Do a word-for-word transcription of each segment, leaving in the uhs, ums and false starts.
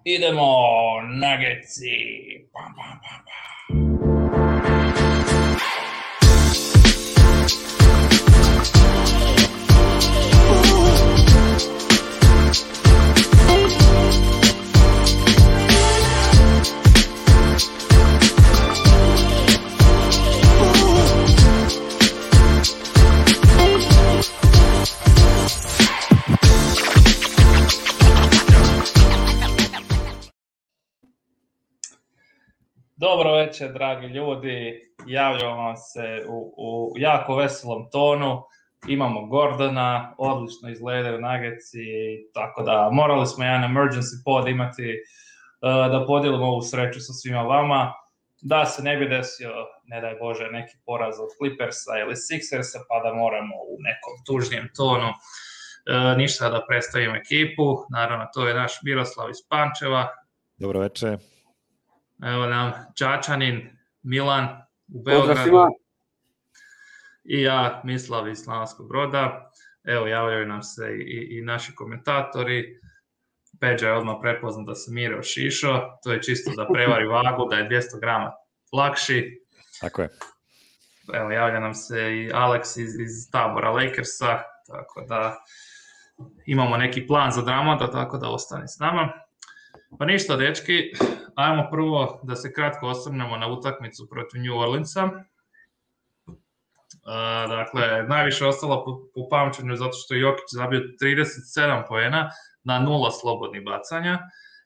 Idemo, Nuggetsi. Pam, pam, pam, pam. Dobro večer, dragi ljudi. Javljamo vam se u, u jako veselom tonu. Imamo Gordona, odlično izgledaju Nuggetsi, tako da morali smo jedan emergency pod imati uh, da podijelimo ovu sreću sa svima vama. Da se ne bi desio, ne daj Bože, neki poraz od Clippersa ili Sixersa, pa da moramo u nekom tužnijem tonu uh, ništa da predstavimo ekipu. Naravno, to je naš Miroslav iz Pančeva. Dobro večer. Evo nam Čačanin, Milan u Beogradu i ja, Mislav iz Slavonskog Broda. Evo, javljaju nam se i, i naši komentatori. Peđa je odmah prepoznat da se Miro šišo, to je čisto da prevari vagu, da je dvjesto grama lakši. Tako je. Evo, javlja nam se i Alex iz, iz tabora Lakersa, tako da imamo neki plan za Dramonda, tako da ostani s nama. Pa ništa, dečki, ajmo prvo da se kratko osvrnemo na utakmicu protiv New Orleansa. Uh, dakle, najviše ostalo po, po pamćenju zato što je Jokić zabio trideset sedam poena na nula slobodnih bacanja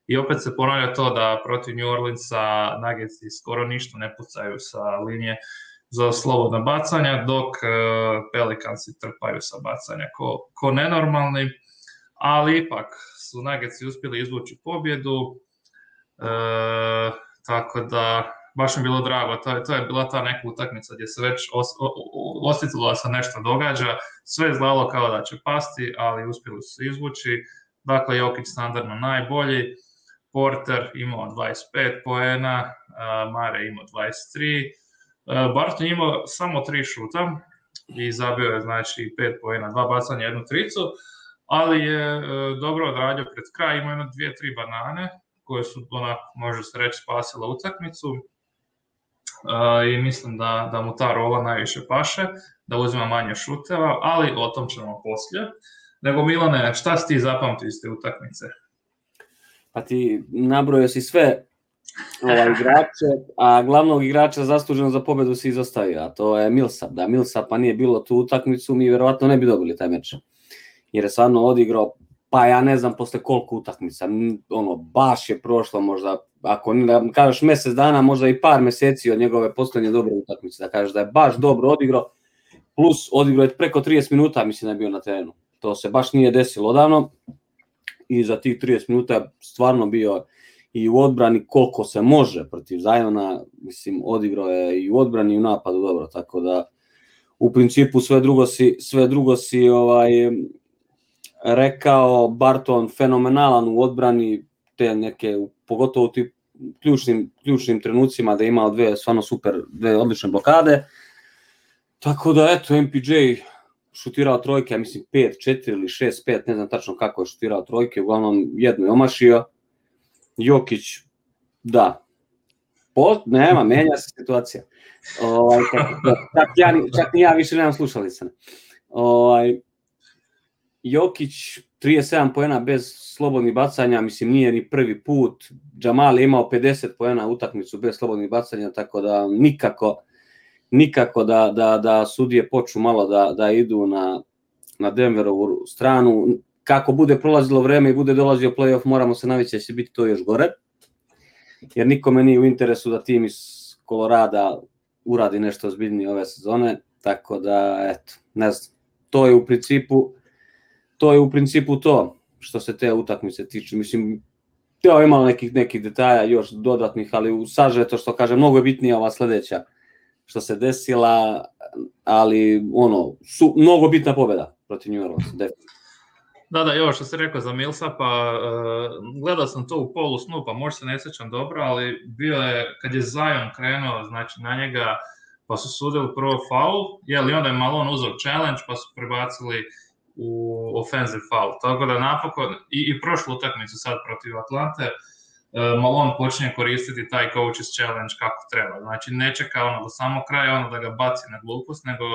i opet se ponavlja to da protiv New Orleansa Nuggetsi skoro ništa ne pucaju sa linije za slobodna bacanja, dok uh, Pelicansi trpaju sa bacanja ko, ko nenormalni, ali ipak su Nuggetsi uspjeli izvući pobjedu, e, tako da baš mi bilo drago, to je, to je bila ta neka utakmica gdje se već os, osjetilo da se nešto događa, sve je zlalo kao da će pasti, ali uspjeli su se izvući. Dakle, Jokić standardno najbolji, Porter imao dvadeset pet poena, Mare imao dvadeset tri, Barton imao samo tri šuta i zabio je znači pet poena, dva bacanja, jednu tricu, ali je e, dobro odradio pred kraj, imao jedno dvije, tri banane koje su onako, može se reći, spasile utakmicu e, i mislim da, da mu ta rola najviše paše, da uzima manje šuteva, ali o tom ćemo poslije. Nego Milane, šta si ti zapamtio iz te utakmice? Pa ti nabrojio si sve ovaj, igrače, a glavnog igrača zasluženo za pobjedu si izostavio, a to je Millsap. Da Millsapa nije bilo tu utakmicu, mi vjerovatno ne bi dobili taj meč. Jer je stvarno odigrao, pa ja ne znam posle koliko utakmica, ono, baš je prošlo možda, ako ne kažeš mjesec dana, možda i par mjeseci od njegove posljednje dobre utakmice, da kažeš da je baš dobro odigrao, plus odigrao je preko trideset minuta, mislim da je bio na terenu. To se baš nije desilo odavno i za tih trideset minuta je stvarno bio i u odbrani koliko se može protiv Ziona, mislim, odigrao je i u odbrani i u napadu dobro, tako da u principu sve drugo si, sve drugo si ovaj, rekao. Barton fenomenalan u odbrani, te neke, pogotovo u tim ključnim, ključnim trenucima da je imao dve stvarno super, dve odlične blokade. Tako da eto, M P J šutirao trojke, ja mislim pet četiri ili šest pet, ne znam tačno kako je šutirao trojke, uglavnom jednu je omašio. Jokić, da, po, nema, menja se situacija. Ovaj, čak, ja, čak ni ja više nemam slušalica. Ovaj, Jokić, trideset sedam poena bez slobodnih bacanja, mislim nije ni prvi put. Jamal je imao pedeset poena utakmicu bez slobodnih bacanja, tako da nikako, nikako da, da, da sudije počnu malo da, da idu na, na Denverovu stranu. Kako bude prolazilo vreme i bude dolazio play-off, moramo se navići da će biti to još gore. Jer nikome nije u interesu da tim iz Kolorada uradi nešto ozbiljnije ove sezone, tako da, eto, ne znam, to je u principu, to je u principu to što se te utakmice tiče. Mislim, to je imalo nekih, nekih detalja još dodatnih, ali u sažeto što kaže, mnogo je bitnija ova sljedeća što se desila, ali ono, su, mnogo bitna pobjeda protiv New Orleansa, definitivno. Da, da, još što se rekao za Millsapa, uh, gledao sam to u polu snu, pa možda se ne sjećam dobro, ali bio je, kad je Zion krenuo, znači na njega, pa su sudili prvo faul, jel, i onda je Malone uzeo challenge, pa su prebacili u offensive foul. Tako da napokon, i, i prošlu utakmicu sad protiv Atlante, Malone počinje koristiti taj coaches challenge kako treba. Znači ne čeka ono do samog kraja ono da ga baci na glupost, nego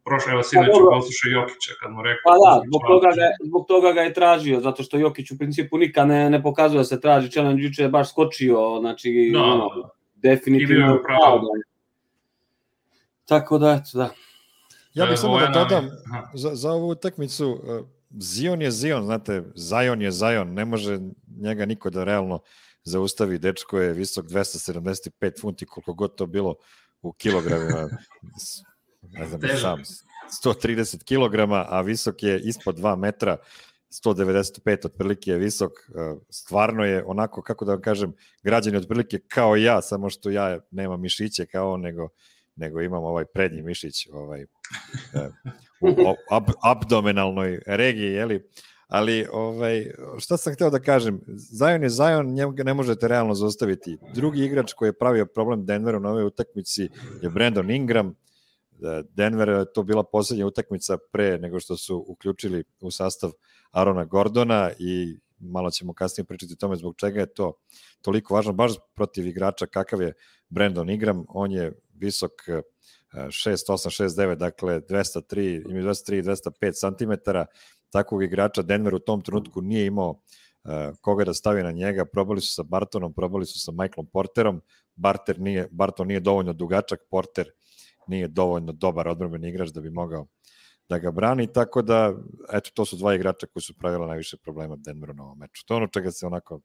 prošle evo sinoć u poslušaju Jokića kad mu rekao... Pa da, zbog toga, ga, zbog toga ga je tražio, zato što Jokić u principu nikad ne, ne pokazuje da se traži challenge, juče je baš skočio, znači da, ono, da. definitivno je pravo. Tako da, eto, da. Ja bih samo da dodam za, za ovu utakmicu, Zion je Zion, znate, Zion je Zion, ne može njega niko da realno zaustavi, dečko je visok dvesta sedamdeset pet funti, koliko god to bilo u kilogramima, ne znam, sam, sto trideset kilograma, a visok je ispod dva metra, sto devedeset pet otprilike je visok, stvarno je onako, kako da vam kažem, građan je otprilike kao ja, samo što ja nemam mišiće kao on, nego, nego imam ovaj prednji mišić ovaj, u ab, abdomenalnoj regiji, jeli? Ali ovaj, šta sam hteo da kažem, Zion je Zion, njega ne možete realno zaustaviti. Drugi igrač koji je pravio problem Denveru na ovoj utakmici je Brandon Ingram. Denver je to bila poslednja utakmica pre nego što su uključili u sastav Arona Gordona i malo ćemo kasnije pričati o tome zbog čega je to toliko važno, baš protiv igrača kakav je Brandon Ingram. On je visok šest osam šest devet, dakle dvesta tri, ima dvesta tri dvesta pet centimetara. Takvog igrača Denver u tom trenutku nije imao uh, koga da stavi na njega. Probali su sa Bartonom, probali su sa Michaelom Porterom. Barter nije, Barton nije dovoljno dugačak, Porter nije dovoljno dobar odbrambeni igrač da bi mogao da ga brani, tako da, eto, to su dva igrača koji su pravila najviše problema Denveru na ovom meču. To je ono čega se onako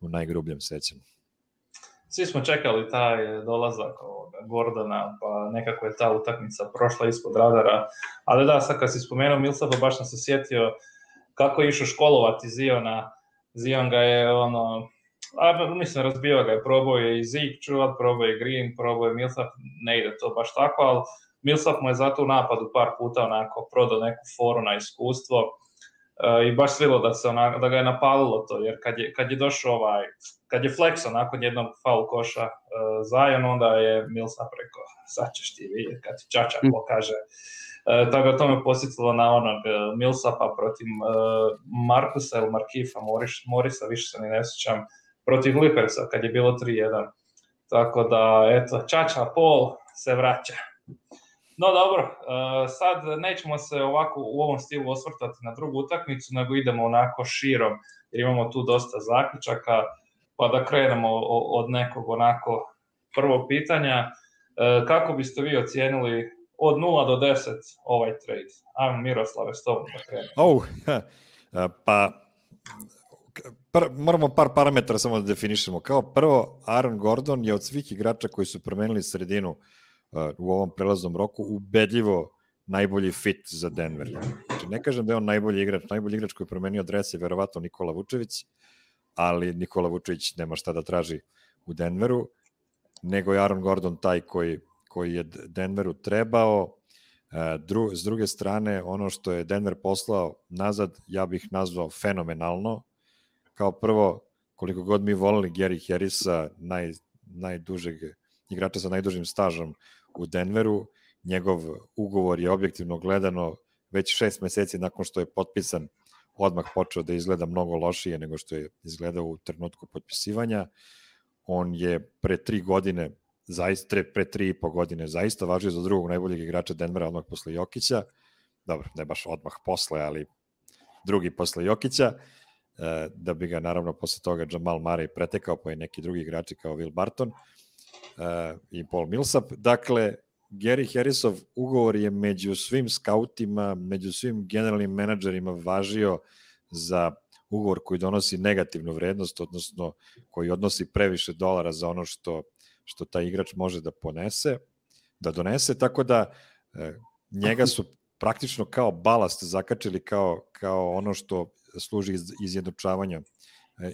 u najgrubljem sećam. Svi smo čekali taj dolazak Gordona, pa nekako je ta utakmica prošla ispod radara, ali da, sad kad si spomenuo Millsapa, baš sam se sjetio kako je išao školovati Ziona. Zion ga je, ono, a, mislim, razbio ga je, probao je i Zeke čuvat, probao je Green, probao je Millsap, ne ide to baš tako, ali Millsap mu je zato u napadu par puta onako prodao neku foru na iskustvo. Uh, i baš svilo da se ona, da ga je napalilo to, jer kad je, kad je došao ovaj, kad je flexo nakon jednog faul koša uh, Zion, onda je Millsap rekao, sad ćeš ti vidjeti kad ti čača pokaže. Uh, tako da to me posjetilo na onog uh, Millsapa protiv uh, Markusa ili Markifa Morris, Morisa, više se ni ne sjećam, protiv Clippersa kad je bilo tri jedan. Tako da, eto, čača Paul se vraća. No dobro, uh, sad nećemo se ovako u ovom stilu osvrtati na drugu utakmicu, nego idemo onako širom, jer imamo tu dosta zaključaka, pa da krenemo od nekog onako prvog pitanja. Uh, kako biste vi ocijenili od nula do deset ovaj trade? Ajmo Miroslave, s tobom da krenemo. Oh, pa par, moramo par parametra samo da definišemo. Kao prvo, Aaron Gordon je od svih igrača koji su promenili sredinu u ovom prelaznom roku ubedljivo najbolji fit za Denver. Znači, ne kažem da je on najbolji igrač, najbolji igrač koji je promenio dres je verovatno Nikola Vučević, ali Nikola Vučević nema šta da traži u Denveru, nego je Aaron Gordon taj koji, koji je Denveru trebao. Dru, s druge strane, ono što je Denver poslao nazad, ja bih nazvao fenomenalno. Kao prvo, koliko god mi volili Gary Harrisa, naj, najdužeg igrača sa najdužim stažom u Denveru, njegov ugovor je objektivno gledano već šest meseci nakon što je potpisan odmah počeo da izgleda mnogo lošije nego što je izgledao u trenutku potpisivanja. On je pre tri godine, zaista, pre tri i po godine zaista važio za drugog najboljeg igrača Denvera odmah posle Jokića. Dobro, ne baš odmah posle, ali drugi posle Jokića, da bi ga naravno posle toga Jamal Murray pretekao, pa i neki drugi igrači kao Will Barton i Paul Millsap. Dakle, Gary Harrisov ugovor je među svim skautima, među svim generalnim menadžerima važio za ugovor koji donosi negativnu vrednost, odnosno koji odnosi previše dolara za ono što, što taj igrač može da ponese, da donese, tako da e, njega su praktično kao balast zakačili kao, kao ono što služi iz, izjednačavanju,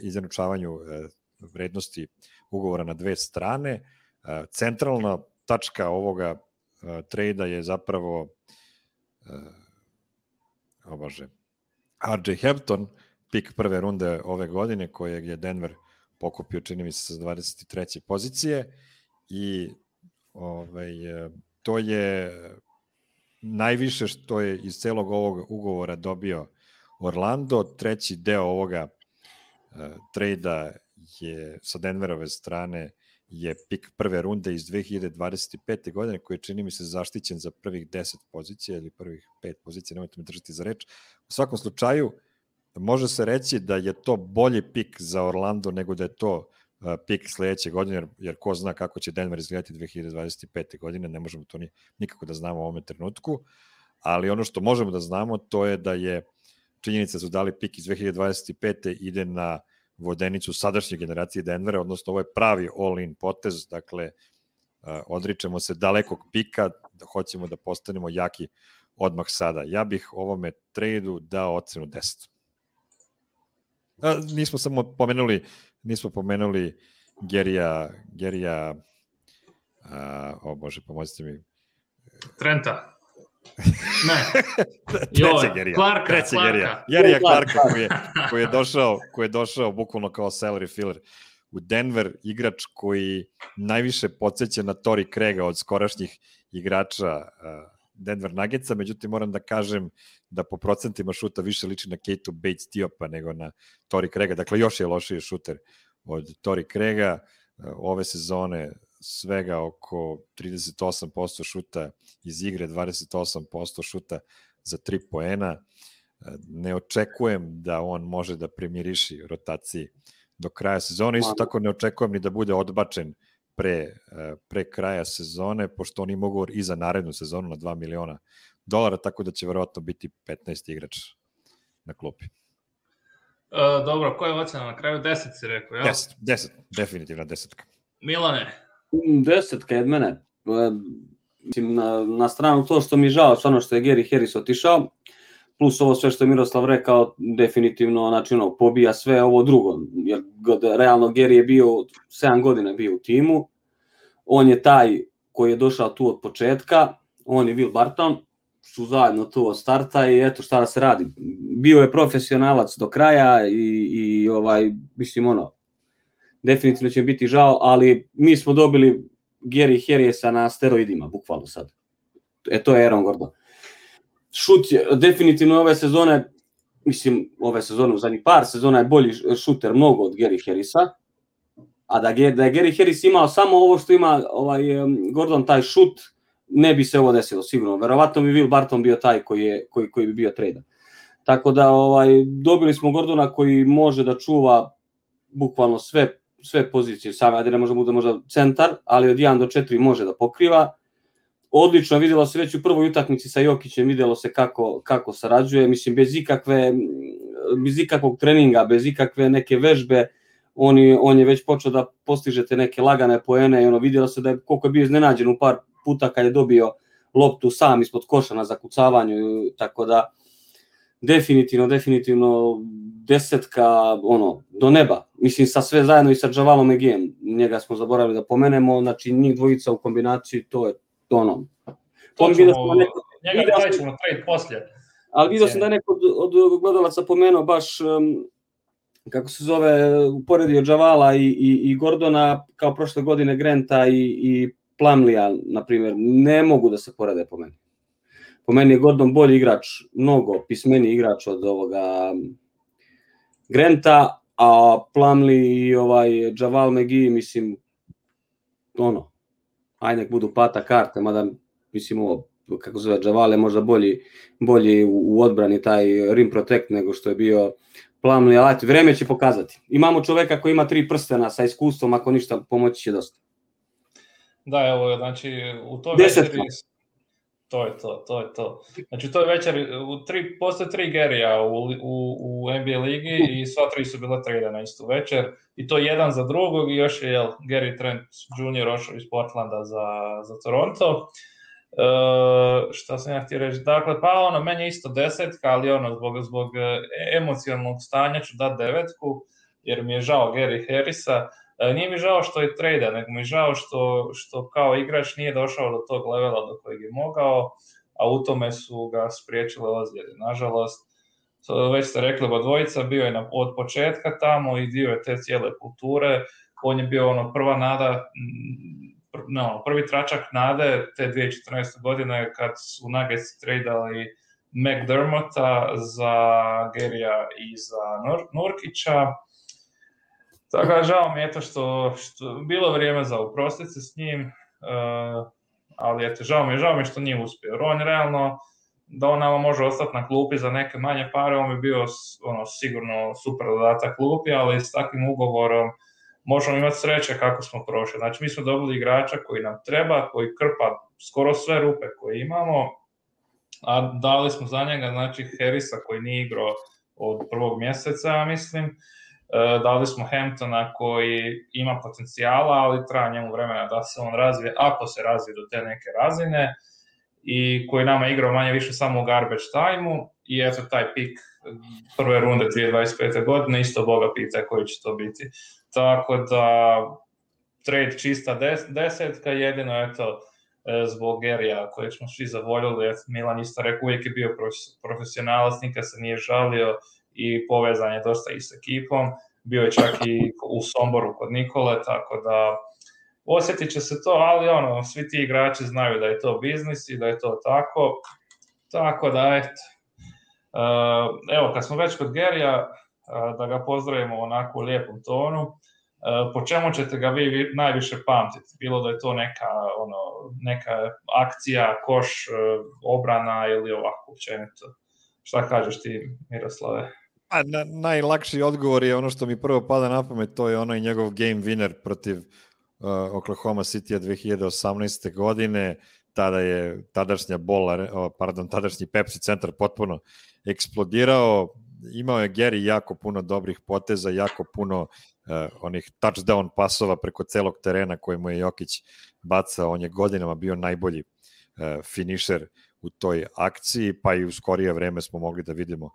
izjednačavanju e, vrednosti ugovora na dve strane. E, centralna tačka ovoga e, trejda je zapravo e, o Bože, R J Hampton, pik prve runde ove godine, kojeg je Denver pokupio, čini mi se, sa dvadeset treće pozicije i ovaj, to je najviše što je iz celog ovog ugovora dobio Orlando. Treći deo ovoga uh, trejda je sa Denverove strane je pik prve runde iz dve hiljade dvadeset pete. godine, koji je, čini mi se, zaštićen za prvih deset pozicija ili prvih pet pozicija, nemojte me držati za reč. U svakom slučaju, može se reći da je to bolji pik za Orlando nego da je to pik sledeće godine, jer, jer ko zna kako će Denver izgledati dve hiljade dvadeset pete. godine, ne možemo to ni, nikako da znamo u ovome trenutku, ali ono što možemo da znamo to je da je činjenica da su dali pik iz dve hiljade dvadeset pete. ide na vodenicu sadašnje generacije Denvera, odnosno ovo je pravi all-in potez, dakle odričemo se dalekog pika, da hoćemo da postanemo jaki odmah sada. Ja bih ovome tradu dao ocenu deset. A, nismo samo pomenuli nismo pomenuli Gerija Gerija a, o bože, pomozite mi. Trenta. Ne. Treće Gerija. Clarka, Treće Clarka. Gerija. Gerija Clarka koji je, koji, je došao, koji je došao bukvalno kao salary filler u Denver, igrač koji najviše podsjeća na Torrey Craiga od skorašnjih igrača uh, Denver Nuggetsa, međutim moram da kažem da po procentima šuta više liči na Keita Bates-Diopa nego na Torrey Craiga, dakle još je lošiji šuter od Torrey Craiga. Uh, ove sezone svega oko trideset osam posto šuta iz igre, dvadeset osam posto šuta za tri poena. Ne očekujem da on može da primiriši rotaciji do kraja sezone. Isto tako ne očekujem ni da bude odbačen pre, pre kraja sezone, pošto oni mogu i za narednu sezonu na dva miliona dolara, tako da će verovatno biti petnaesti igrač na klupi. E, dobro, koja je ocena na kraju? deset si rekao, ja? deset, deset, definitivna desetka. Milane? Desetka je od mene. Mislim, na, na stranu to što mi je žao, stvarno što je Gary Harris otišao, plus ovo sve što je Miroslav rekao, definitivno, znači, ono, pobija sve ovo drugo, jer realno Gary je bio, sedam godina bio u timu, on je taj koji je došao tu od početka, on je Will Barton, su zajedno tu od starta i eto šta da se radi. Bio je profesionalac do kraja i, i ovaj, mislim, ono, definitivno će biti žao, ali mi smo dobili Gary Harrisa na steroidima, bukvalno sad. E, to je Aaron Gordon. Šut je, definitivno ove sezone, mislim, ove sezone, u zadnjih par sezona je bolji šuter mnogo od Gary Harrisa, a da, da je Gary Harris imao samo ovo što ima ovaj, Gordon, taj šut, ne bi se ovo desilo, sigurno. Verovatno bi Will Barton bio taj koji, je, koji, koji bi bio tradan. Tako da ovaj, dobili smo Gordona koji može da čuva bukvalno sve, sve pozicije same, ajde ne može bude možda centar, ali od jedan do četiri može da pokriva. Odlično, vidjelo se već u prvoj utakmici sa Jokićem, vidjelo se kako, kako sarađuje, mislim, bez ikakve, bez ikakvog treninga, bez ikakve neke vežbe, on je, on je već počeo da postiže te neke lagane poene i ono, vidjelo se da je, koliko je bio iznenađen u par puta kad je dobio loptu sam ispod koša na zakucavanju, tako da definitivno, definitivno desetka, ono, do neba, mislim, sa sve zajedno i sa Javalom McGeeom, njega smo zaboravili da pomenemo, znači njih dvojica u kombinaciji, to je ono. To ćemo, neko, njega taj ćemo trade poslije. Ali vidio sam da neko od, od gledalaca pomenuo baš, um, kako se zove, uporedio Javala i, i, i Gordona, kao prošle godine Granta i, i Plumleya, na primjer, ne mogu da se porede po meni. Po meni je Gordon bolji igrač, mnogo pismeniji igrač od ovoga Granta, a Plumlee i ovaj Javal McGee, mislim, ono, aj nek budu pata karte, mada, mislim, ovo, kako zove, Javal je možda bolji, bolji u, u odbrani taj rim protect nego što je bio Plumlee, ali vreme će pokazati. Imamo čoveka koji ima tri prstena sa iskustvom, ako ništa, pomoći će dosta. Da, evo, znači, u toj večeri, to je to, to je to. Znači, u toj večeri, u tri, postoje tri Garyja u, u, u N B A ligi i sva tri su bila trade na istu večer, i to jedan za drugog, i još je, jel, Gary Trent junior ošao iz Portlanda za, za Toronto. Uh, šta sam ja htio reći, dakle, pa ono, meni je isto desetka, ali ono, zbog, zbog emocionalnog stanja ću dati devetku, jer mi je žao Gary Harrisa. Uh, nije mi žao što je trade, nego mi je žao što, što kao igrač nije došao do tog levela do kojeg je mogao, a u tome su ga spriječile ozljede. Nažalost, već ste rekli, oba dvojica, bio je na, od početka tamo i dio je te cijele kulture, on je bio ono prva nada, no, prvi tračak nade te dvije tisuće četrnaeste. godine kad su Nuggets tradali McDermotta za Garyja i za Nur- Nurkića. Tako da žao mi je to što, što bilo vrijeme za oprostiti se s njim, uh, ali eto, žao mi je, žao mi je što nije uspio. Jer on realno, da on nama može ostati na klupi za neke manje pare, on bi bio ono, sigurno super dodatak klupi, ali s takvim ugovorom možemo imati sreće kako smo prošli. Znači, mi smo dobili igrača koji nam treba, koji krpa skoro sve rupe koje imamo, a dali smo za njega, znači, Harrisa koji nije igrao od prvog mjeseca, ja mislim. E, dali smo Hamptona koji ima potencijala, ali traja njemu vremena da se on razvije, ako se razvije do te neke razine, i koji nama igrao manje više samo u garbage time-u, i eto taj pik prve runde dvije tisuće dvadeset pete. godine, isto Boga pita koji će to biti. Tako da, trade čista des, desetka, jedino eto, zbog Gerija kojeg smo svi zavoljeli, Milan isto rekao, uvijek je bio profesionalac, nikad se nije žalio i povezan je dosta i s ekipom, bio je čak i u Somboru kod Nikole, tako da osjetit će se to, ali ono, svi ti igrači znaju da je to biznis i da je to tako, tako da eto. Evo, kad smo već kod Gerija, da ga pozdravimo onako u lijepom tonu, po čemu ćete ga vi najviše pamtiti? Bilo da je to neka, ono, neka akcija, koš, obrana ili ovako općenito. Šta kažeš ti, Miroslave? A, na, najlakši odgovor je ono što mi prvo pada na pamet, to je onaj njegov game winner protiv uh, Oklahoma City dve hiljade osamnaeste. godine. Tada je tadašnja bola, pardon, tadašnji Pepsi centar potpuno eksplodirao. Imao je Gary jako puno dobrih poteza, jako puno uh, onih touchdown pasova preko celog terena koje mu je Jokić bacao. On je godinama bio najbolji uh, finisher u toj akciji, pa i u skorije vreme smo mogli da vidimo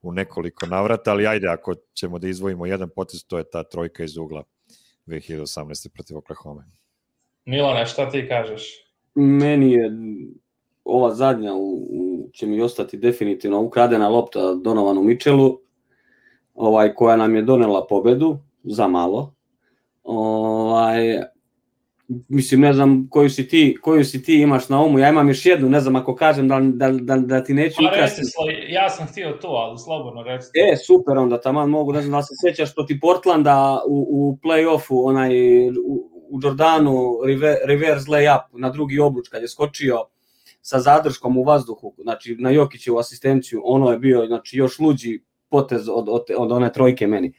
u nekoliko navrata, ali ajde, ako ćemo da izdvojimo jedan potez, to je ta trojka iz ugla dve hiljade osamnaeste. protiv Oklahoma. Milane, šta ti kažeš? Meni je ova zadnja u, u, će mi ostati definitivno ukradena lopta Donovanu Mitchellu, ovaj, koja nam je donela pobedu za malo. Ovaj, mislim, ne znam koju si ti, koju si ti imaš na umu, ja imam još jednu, ne znam ako kažem da, da, da, da ti neću ukrasti. Ja sam htio to, ali slobodno reći. E, super, onda taman mogu, ne znam da se sjećaš protiv Portlanda u, u play-offu, onaj u, u Jordanu reverse layup na drugi obruč kad je skočio sa zadrškom u vazduhu, znači na Jokićevu asistenciju, ono je bio, znači, još luđi potez od, od, od one trojke meni.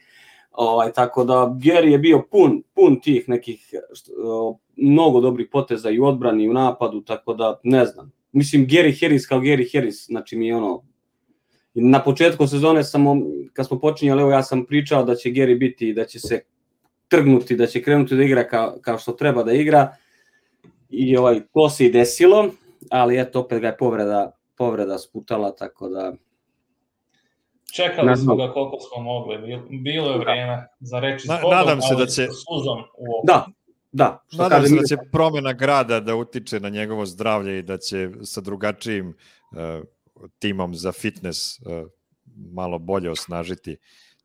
Ovaj, tako da Gary je bio pun, pun tih nekih što, mnogo dobrih poteza i u odbrani i u napadu, tako da ne znam. Mislim, Gary Harris kao Gary Harris, znači mi je ono, na početku sezone samo, kad smo počinjali, evo ja sam pričao da će Gary biti, da će se trgnuti, da će krenuti da igra kao, kao što treba da igra, i ovaj, to se i desilo, ali eto, opet ga je povreda, povreda sputala, tako da... Čekali smo ga koliko smo mogli, bilo je vrijeme za reći Na, nadam se da će suzom u da, da, što nadam se da će promjena grada da utiče na njegovo zdravlje i da će sa drugačijim uh, timom za fitness uh, malo bolje osnažiti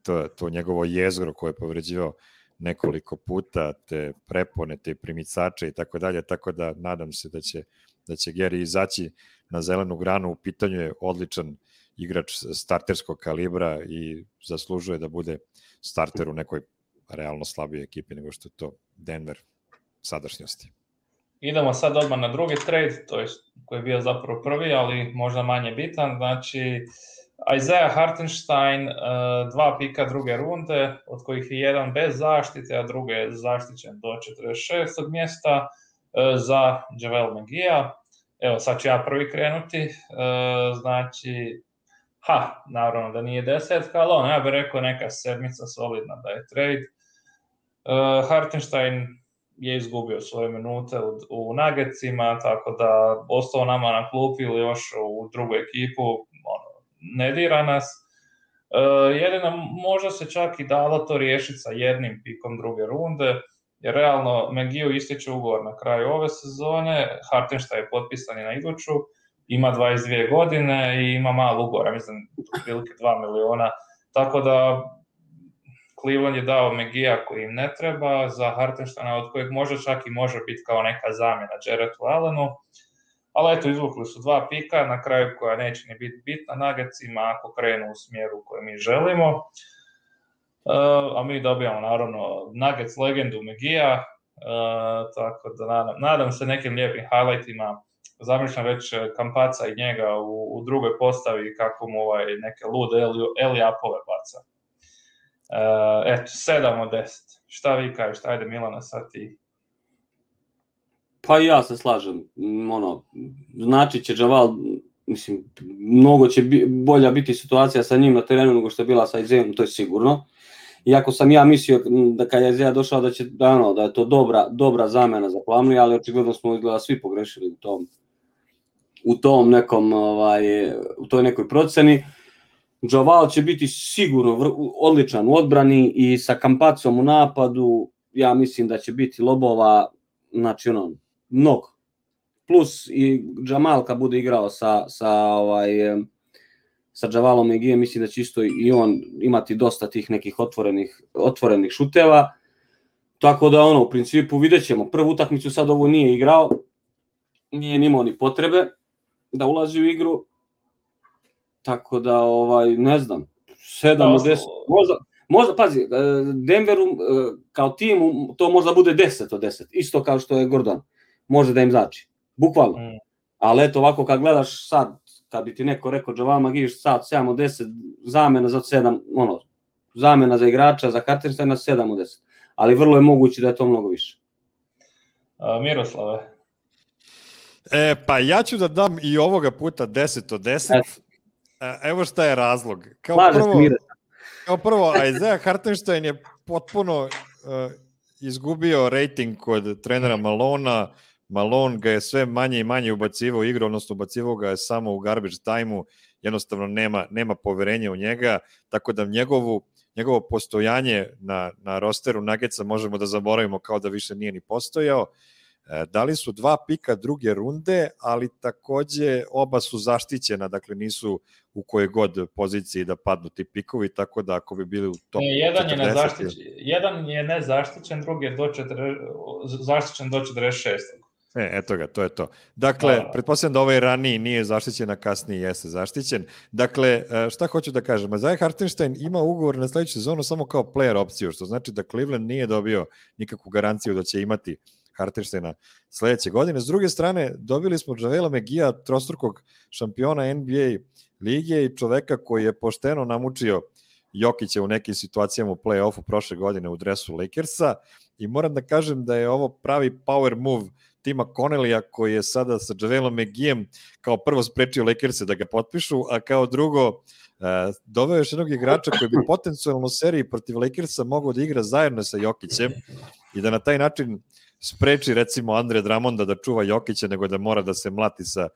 to, to njegovo jezgro koje je povređivao nekoliko puta, te prepone, te primicače i tako dalje, tako da nadam se da će, da će Gary izaći na zelenu granu. U pitanju je odličan igrač starterskog kalibra i zaslužuje da bude starter u nekoj realno slabijoj ekipi nego što je to Denver sadašnjosti. Idemo sad odmah na drugi trade, to je koji je bio zapravo prvi, ali možda manje bitan. Znači, Isaiah Hartenstein, dva pika druge runde, od kojih je jedan bez zaštite, a drugi je zaštićen do četrdeset šestog mjesta za Javel McGee-a. Evo, sad ću ja prvi krenuti. Znači, ha, naravno da nije desetka, ali on, ja bih rekao neka sedmica solidna da je trade. Hartenstein je izgubio svoje minute u, u Nuggetsima, tako da ostao nama na klupi ili još u drugu ekipu, ono, ne dira nas. E, jedino možda se čak i dalo to riješiti sa jednim pikom druge runde, jer realno McGee ističe ugovor na kraju ove sezone, Hartenstein je potpisan i na iduću, ima dvadeset dvije godine i ima malo ugovora, mislim, otprilike dva miliona, tako da Cleveland je dao McGee-a koji im ne treba, za Hartensteina od kojeg možda čak i može biti kao neka zamjena Jarrettu Allenu, ali eto, izvukli su dva pika na kraju koja neće ni biti bitna Nuggetsima ako krenu u smjeru u kojem mi želimo. Uh, a mi dobijamo naravno Nuggets legendu Megija, uh, tako da nadam, nadam se nekim lijepim highlightima. Zamišljam već Kampaca i njega u, u drugoj postavi kako mu ovaj neke lude Eli-apove baca. Uh, eto, sedam od deset. Šta vi kažete? Ajde Milana, sad ti. Pa ja se slažem. Ono, znači će Javal, mislim, mnogo će bi, bolja biti situacija sa njim na terenu nego što je bila sa Isaiahom, to je sigurno. Iako sam ja mislio da kad je Isaiah došao da će da, ono, da je to dobra, dobra zamena za Plumlee, ali očigledno smo izgleda svi pogrešili u tom u tom nekom ovaj u toj nekoj proceni. Javal će biti sigurno vr, odličan u odbrani i sa Kampacom u napadu. Ja mislim da će biti lobova, znači ono, mnogo. Plus i Jamal kad bude igrao sa sa ovaj sa Javalom Megijem, mislim da će isto i on imati dosta tih nekih otvorenih otvorenih šuteva. Tako da ono, u principu videćemo. Prvu utakmicu sad ovo nije igrao. Nije ni imao ni potrebe da ulazi u igru. Tako da ovaj ne znam, sedam od deset. Možda možda pazi, Denveru kao timu to možda bude deset od deset. Isto kao što je Gordon. Može da im znači. Bukvalno. Mm. Ali eto ovako kad gledaš sad, kad bi ti neko rekao Javal Magee sad sedam od deset, zamena za sedam, ono, zamena za igrača, za Hartensteina sedam od deset. Ali vrlo je moguće da je to mnogo više. A, Miroslave? E, pa ja ću da dam i ovoga puta deset od deset. E. Evo šta je razlog. Kao Slaže prvo, kao prvo, Isaiah Hartenstein je potpuno uh, izgubio rating kod trenera Malona. Malone ga je sve manje i manje ubacivao u igru, odnosno ubacivao ga je samo u garbage time-u, jednostavno nema, nema poverenja u njega, tako da njegovu, njegovo postojanje na, na rosteru Nuggetsa možemo da zaboravimo kao da više nije ni postojao. E, dali su dva pika druge runde, ali takođe oba su zaštićena, dakle nisu u kojoj god poziciji da padnu ti pikovi, tako da ako bi bili u top ne, jedan četrdeset... Je nezaštićen, jedan je nezaštićen, drugi je do četrdeset, zaštićen do četrdeset šest. E, eto ga, to je to. Dakle, a... pretpostavljam da ovaj raniji nije zaštićen, a kasniji jeste zaštićen. Dakle, šta hoću da kažem? Isaiah Hartenstein ima ugovor na sledeću sezonu samo kao player opciju, što znači da Cleveland nije dobio nikakvu garanciju da će imati Hartensteina sledeće godine. S druge strane, dobili smo Javela Megija, trostrukog šampiona N B A lige i čoveka koji je pošteno namučio Jokića u nekim situacijama u play-offu prošle godine u dresu Lakersa i moram da kažem da je ovo pravi power move Tima Connellija koji je sada sa Javelom Megijem kao prvo sprečio Lakerse da ga potpišu, a kao drugo uh, doveo još jednog igrača koji bi potencijalno u seriji protiv Lakersa mogao da igra zajedno sa Jokićem i da na taj način spreči recimo Andre Drummonda da čuva Jokića nego da mora da se mlati sa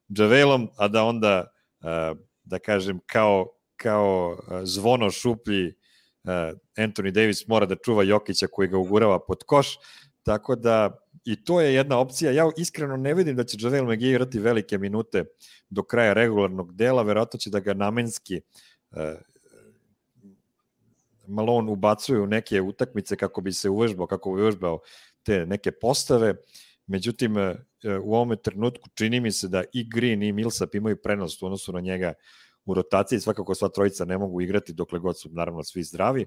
Javelom, a da onda uh, da kažem kao, kao uh, zvono šuplji uh, Anthony Davis mora da čuva Jokića koji ga ugurava pod koš, tako da i to je jedna opcija. Ja iskreno ne vidim da će Javel Magee igrati velike minute do kraja regularnog dela, verovatno će da ga namenski uh, Malone ubacuje u neke utakmice kako bi se uvežbao, kako bi uvežbao te neke postave. Međutim, uh, u ovome trenutku čini mi se da i Green i Millsap imaju prednost u odnosu na njega u rotaciji. Svakako sva trojica ne mogu igrati dokle god su naravno svi zdravi.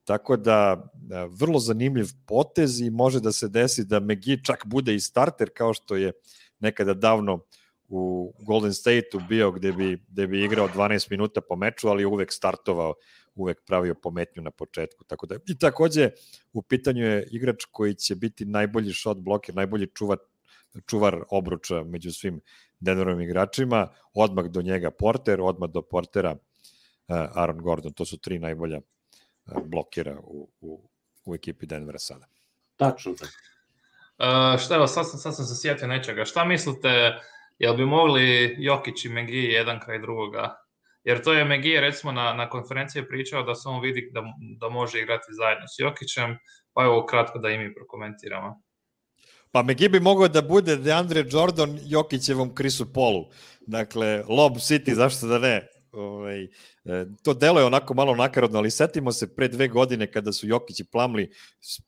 Tako da, vrlo zanimljiv potez i može da se desi da Magee čak bude i starter kao što je nekada davno u Golden State-u bio gde bi, gde bi igrao dvanaest minuta po meču, ali uvek startovao, uvek pravio pometnju na početku. Tako da, i takođe u pitanju je igrač koji će biti najbolji shot bloker, najbolji čuvar, čuvar obruča među svim Denverovim igračima, odmah do njega Porter, odmah do Portera Aaron Gordon, to su tri najbolja blokira u, u, u ekipi Denvera sada. Tačno. Uh, šta evo, sad sam, sad sam se sjetio nečega. Šta mislite, jel bi mogli Jokić i Magee jedan kraj drugoga? Jer to je Magee recimo na, na konferenciji pričao da se on vidi da, da može igrati zajedno s Jokićem, pa evo kratko da i mi prokomentiramo. Pa Magee bi mogao da bude DeAndre Jordan Jokićevom Chrisu Paulu. Dakle, Lob City, zašto da ne? Ovaj, to deluje onako malo nakarodno, ali setimo se pre dve godine kada su Jokić i Plumlee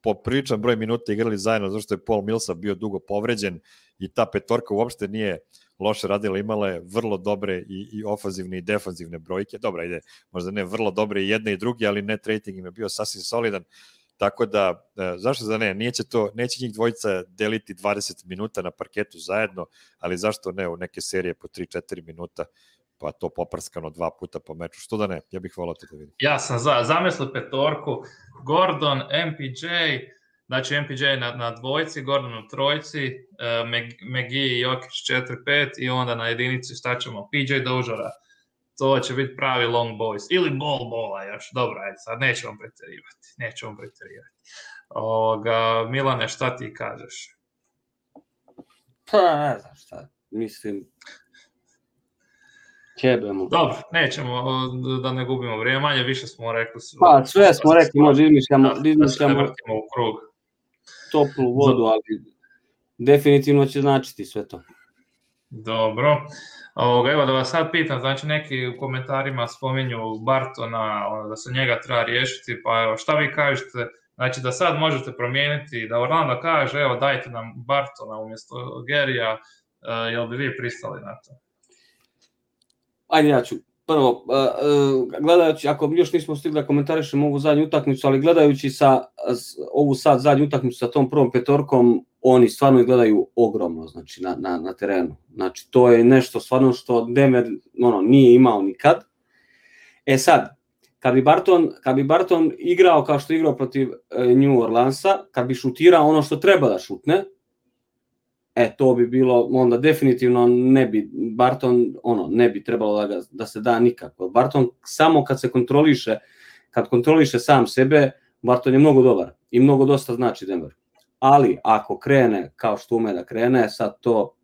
po priličan broj minuta igrali zajedno, zato što je Paul Millsap bio dugo povređen i ta petorka uopšte nije loše radila, imala je vrlo dobre i, i ofanzivne i defanzivne brojke. Dobra, ide, možda ne vrlo dobre i jedne i druge, ali net rating im je bio sasvim solidan. Tako da, zašto da ne, neće, to, neće njih dvojica deliti dvadeset minuta na parketu zajedno, ali zašto ne u neke serije po tri četiri minuta, pa to poprskano dva puta po meču. Što da ne, ja bih volao to da vidim. Ja sam za, zamislio petorku, Gordon, M P J, znači M P J na, na dvojci, Gordon u trojci, uh, McGee i Jokić četiri pet i onda na jedinici šta ćemo, P J Doziera. To će biti pravi long boys. Ili ball bola još. Dobro, ajde, sad nećemo pretjerivati. Nećemo pretjerivati. Ovoga, Milane, šta ti kažeš? Pa, ne znam šta. Mislim, ćebemo. Dobro, nećemo da ne gubimo vrijeme. Manje više smo rekli. Pa, sve smo rekli, možda izmišljamo, da, izmišljamo da se ne vrtimo u krug. Toplu vodu, ali definitivno će značiti sve to. Dobro. Ovoga, evo da vas sad pitam, znači neki u komentarima spominju Bartona, ono, da se njega treba riješiti, pa evo, šta vi kažete, znači da sad možete promijeniti, da Orlando kaže, evo dajte nam Bartona umjesto Gerija, uh, jel bi vi pristali na to? Ajde, ja ću prvo, uh, uh, gledajući, ako još nismo stigli da komentarišemo ovu zadnju utakmicu, ali gledajući sa, ovu sad zadnju utakmicu sa tom prvom petorkom, oni stvarno gledaju ogromno, znači, na, na, na terenu. Znači, to je nešto stvarno što Denver ono, nije imao nikad. E sad, kad bi Barton, kad bi Barton igrao kao što je igrao protiv New Orleansa, kad bi šutirao ono što treba da šutne, e, to bi bilo, onda definitivno ne bi, Barton, ono, ne bi trebalo da, ga, da se da nikako. Barton samo kad se kontroliše, kad kontroliše sam sebe, Barton je mnogo dobar i mnogo dosta znači Denver. Ali ako krene kao što ume da krene, sad to,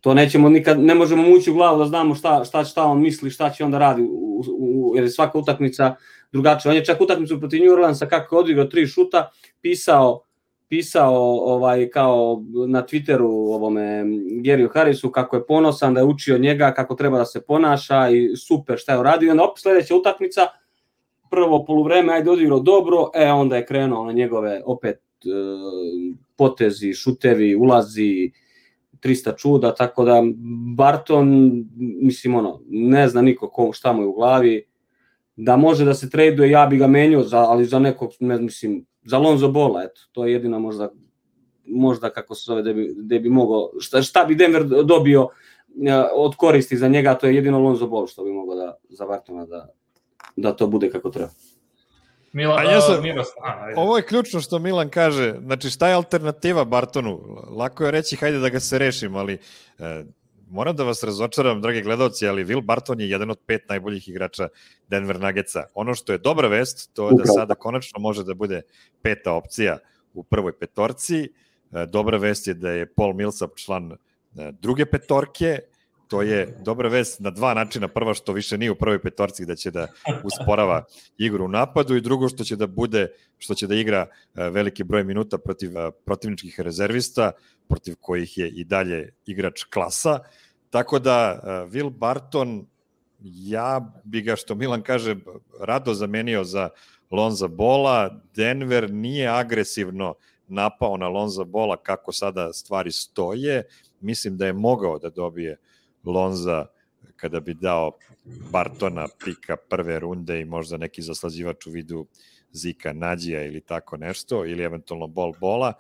to nećemo nikad, ne možemo mu ući u glavu da znamo šta, šta, šta on misli, šta će onda radi, u, u, jer je svaka utakmica drugačija. On je čak utakmicu protiv New Orleansa kako je odigrao tri šuta, pisao, pisao ovaj, kao na Twitteru ovome Geriju Harrisu kako je ponosan da je učio njega kako treba da se ponaša i super šta je uradio. I onda opet sledeća utakmica, prvo poluvreme, ajde odigrao dobro, e onda je krenuo na njegove opet potezi, šutevi, ulazi, trista čuda, tako da Barton, mislim ono, ne zna niko ko, šta mu je u glavi, da može da se traduje, ja bi ga menio, za, ali za nekog, ne mislim, za Lonzo Balla, eto, to je jedina možda, možda kako se zove, da bi, da bi mogao, šta, šta bi Denver dobio od koristi za njega, to je jedino Lonzo Ball što bi mogao da, za Bartona da, da to bude kako treba. Mila, ja sam, ovo je ključno što Milan kaže, znači šta je alternativa Bartonu? Lako je reći hajde da ga se rešim, ali e, moram da vas razočaram, dragi gledalci, ali Will Barton je jedan od pet najboljih igrača Denver Nuggetsa. Ono što je dobra vest, to je da sada konačno može da bude peta opcija u prvoj petorci. E, dobra vest je da je Paul Millsap član e, druge petorke. To je dobra vest na dva načina. Prva što više nije u prvoj petorci da će da usporava igru u napadu i drugo što će da bude, što će da igra veliki broj minuta protiv protivničkih rezervista, protiv kojih je i dalje igrač klasa. Tako da Will Barton, ja bi ga, što Milan kaže, rado zamenio za Lonza Balla. Denver nije agresivno napao na Lonza Balla kako sada stvari stoje. Mislim da je mogao da dobije Lonza kada bi dao Bartona pika prve runde i možda neki zaslađivač u vidu Zika Nađija ili tako nešto, ili eventualno Bol Bola.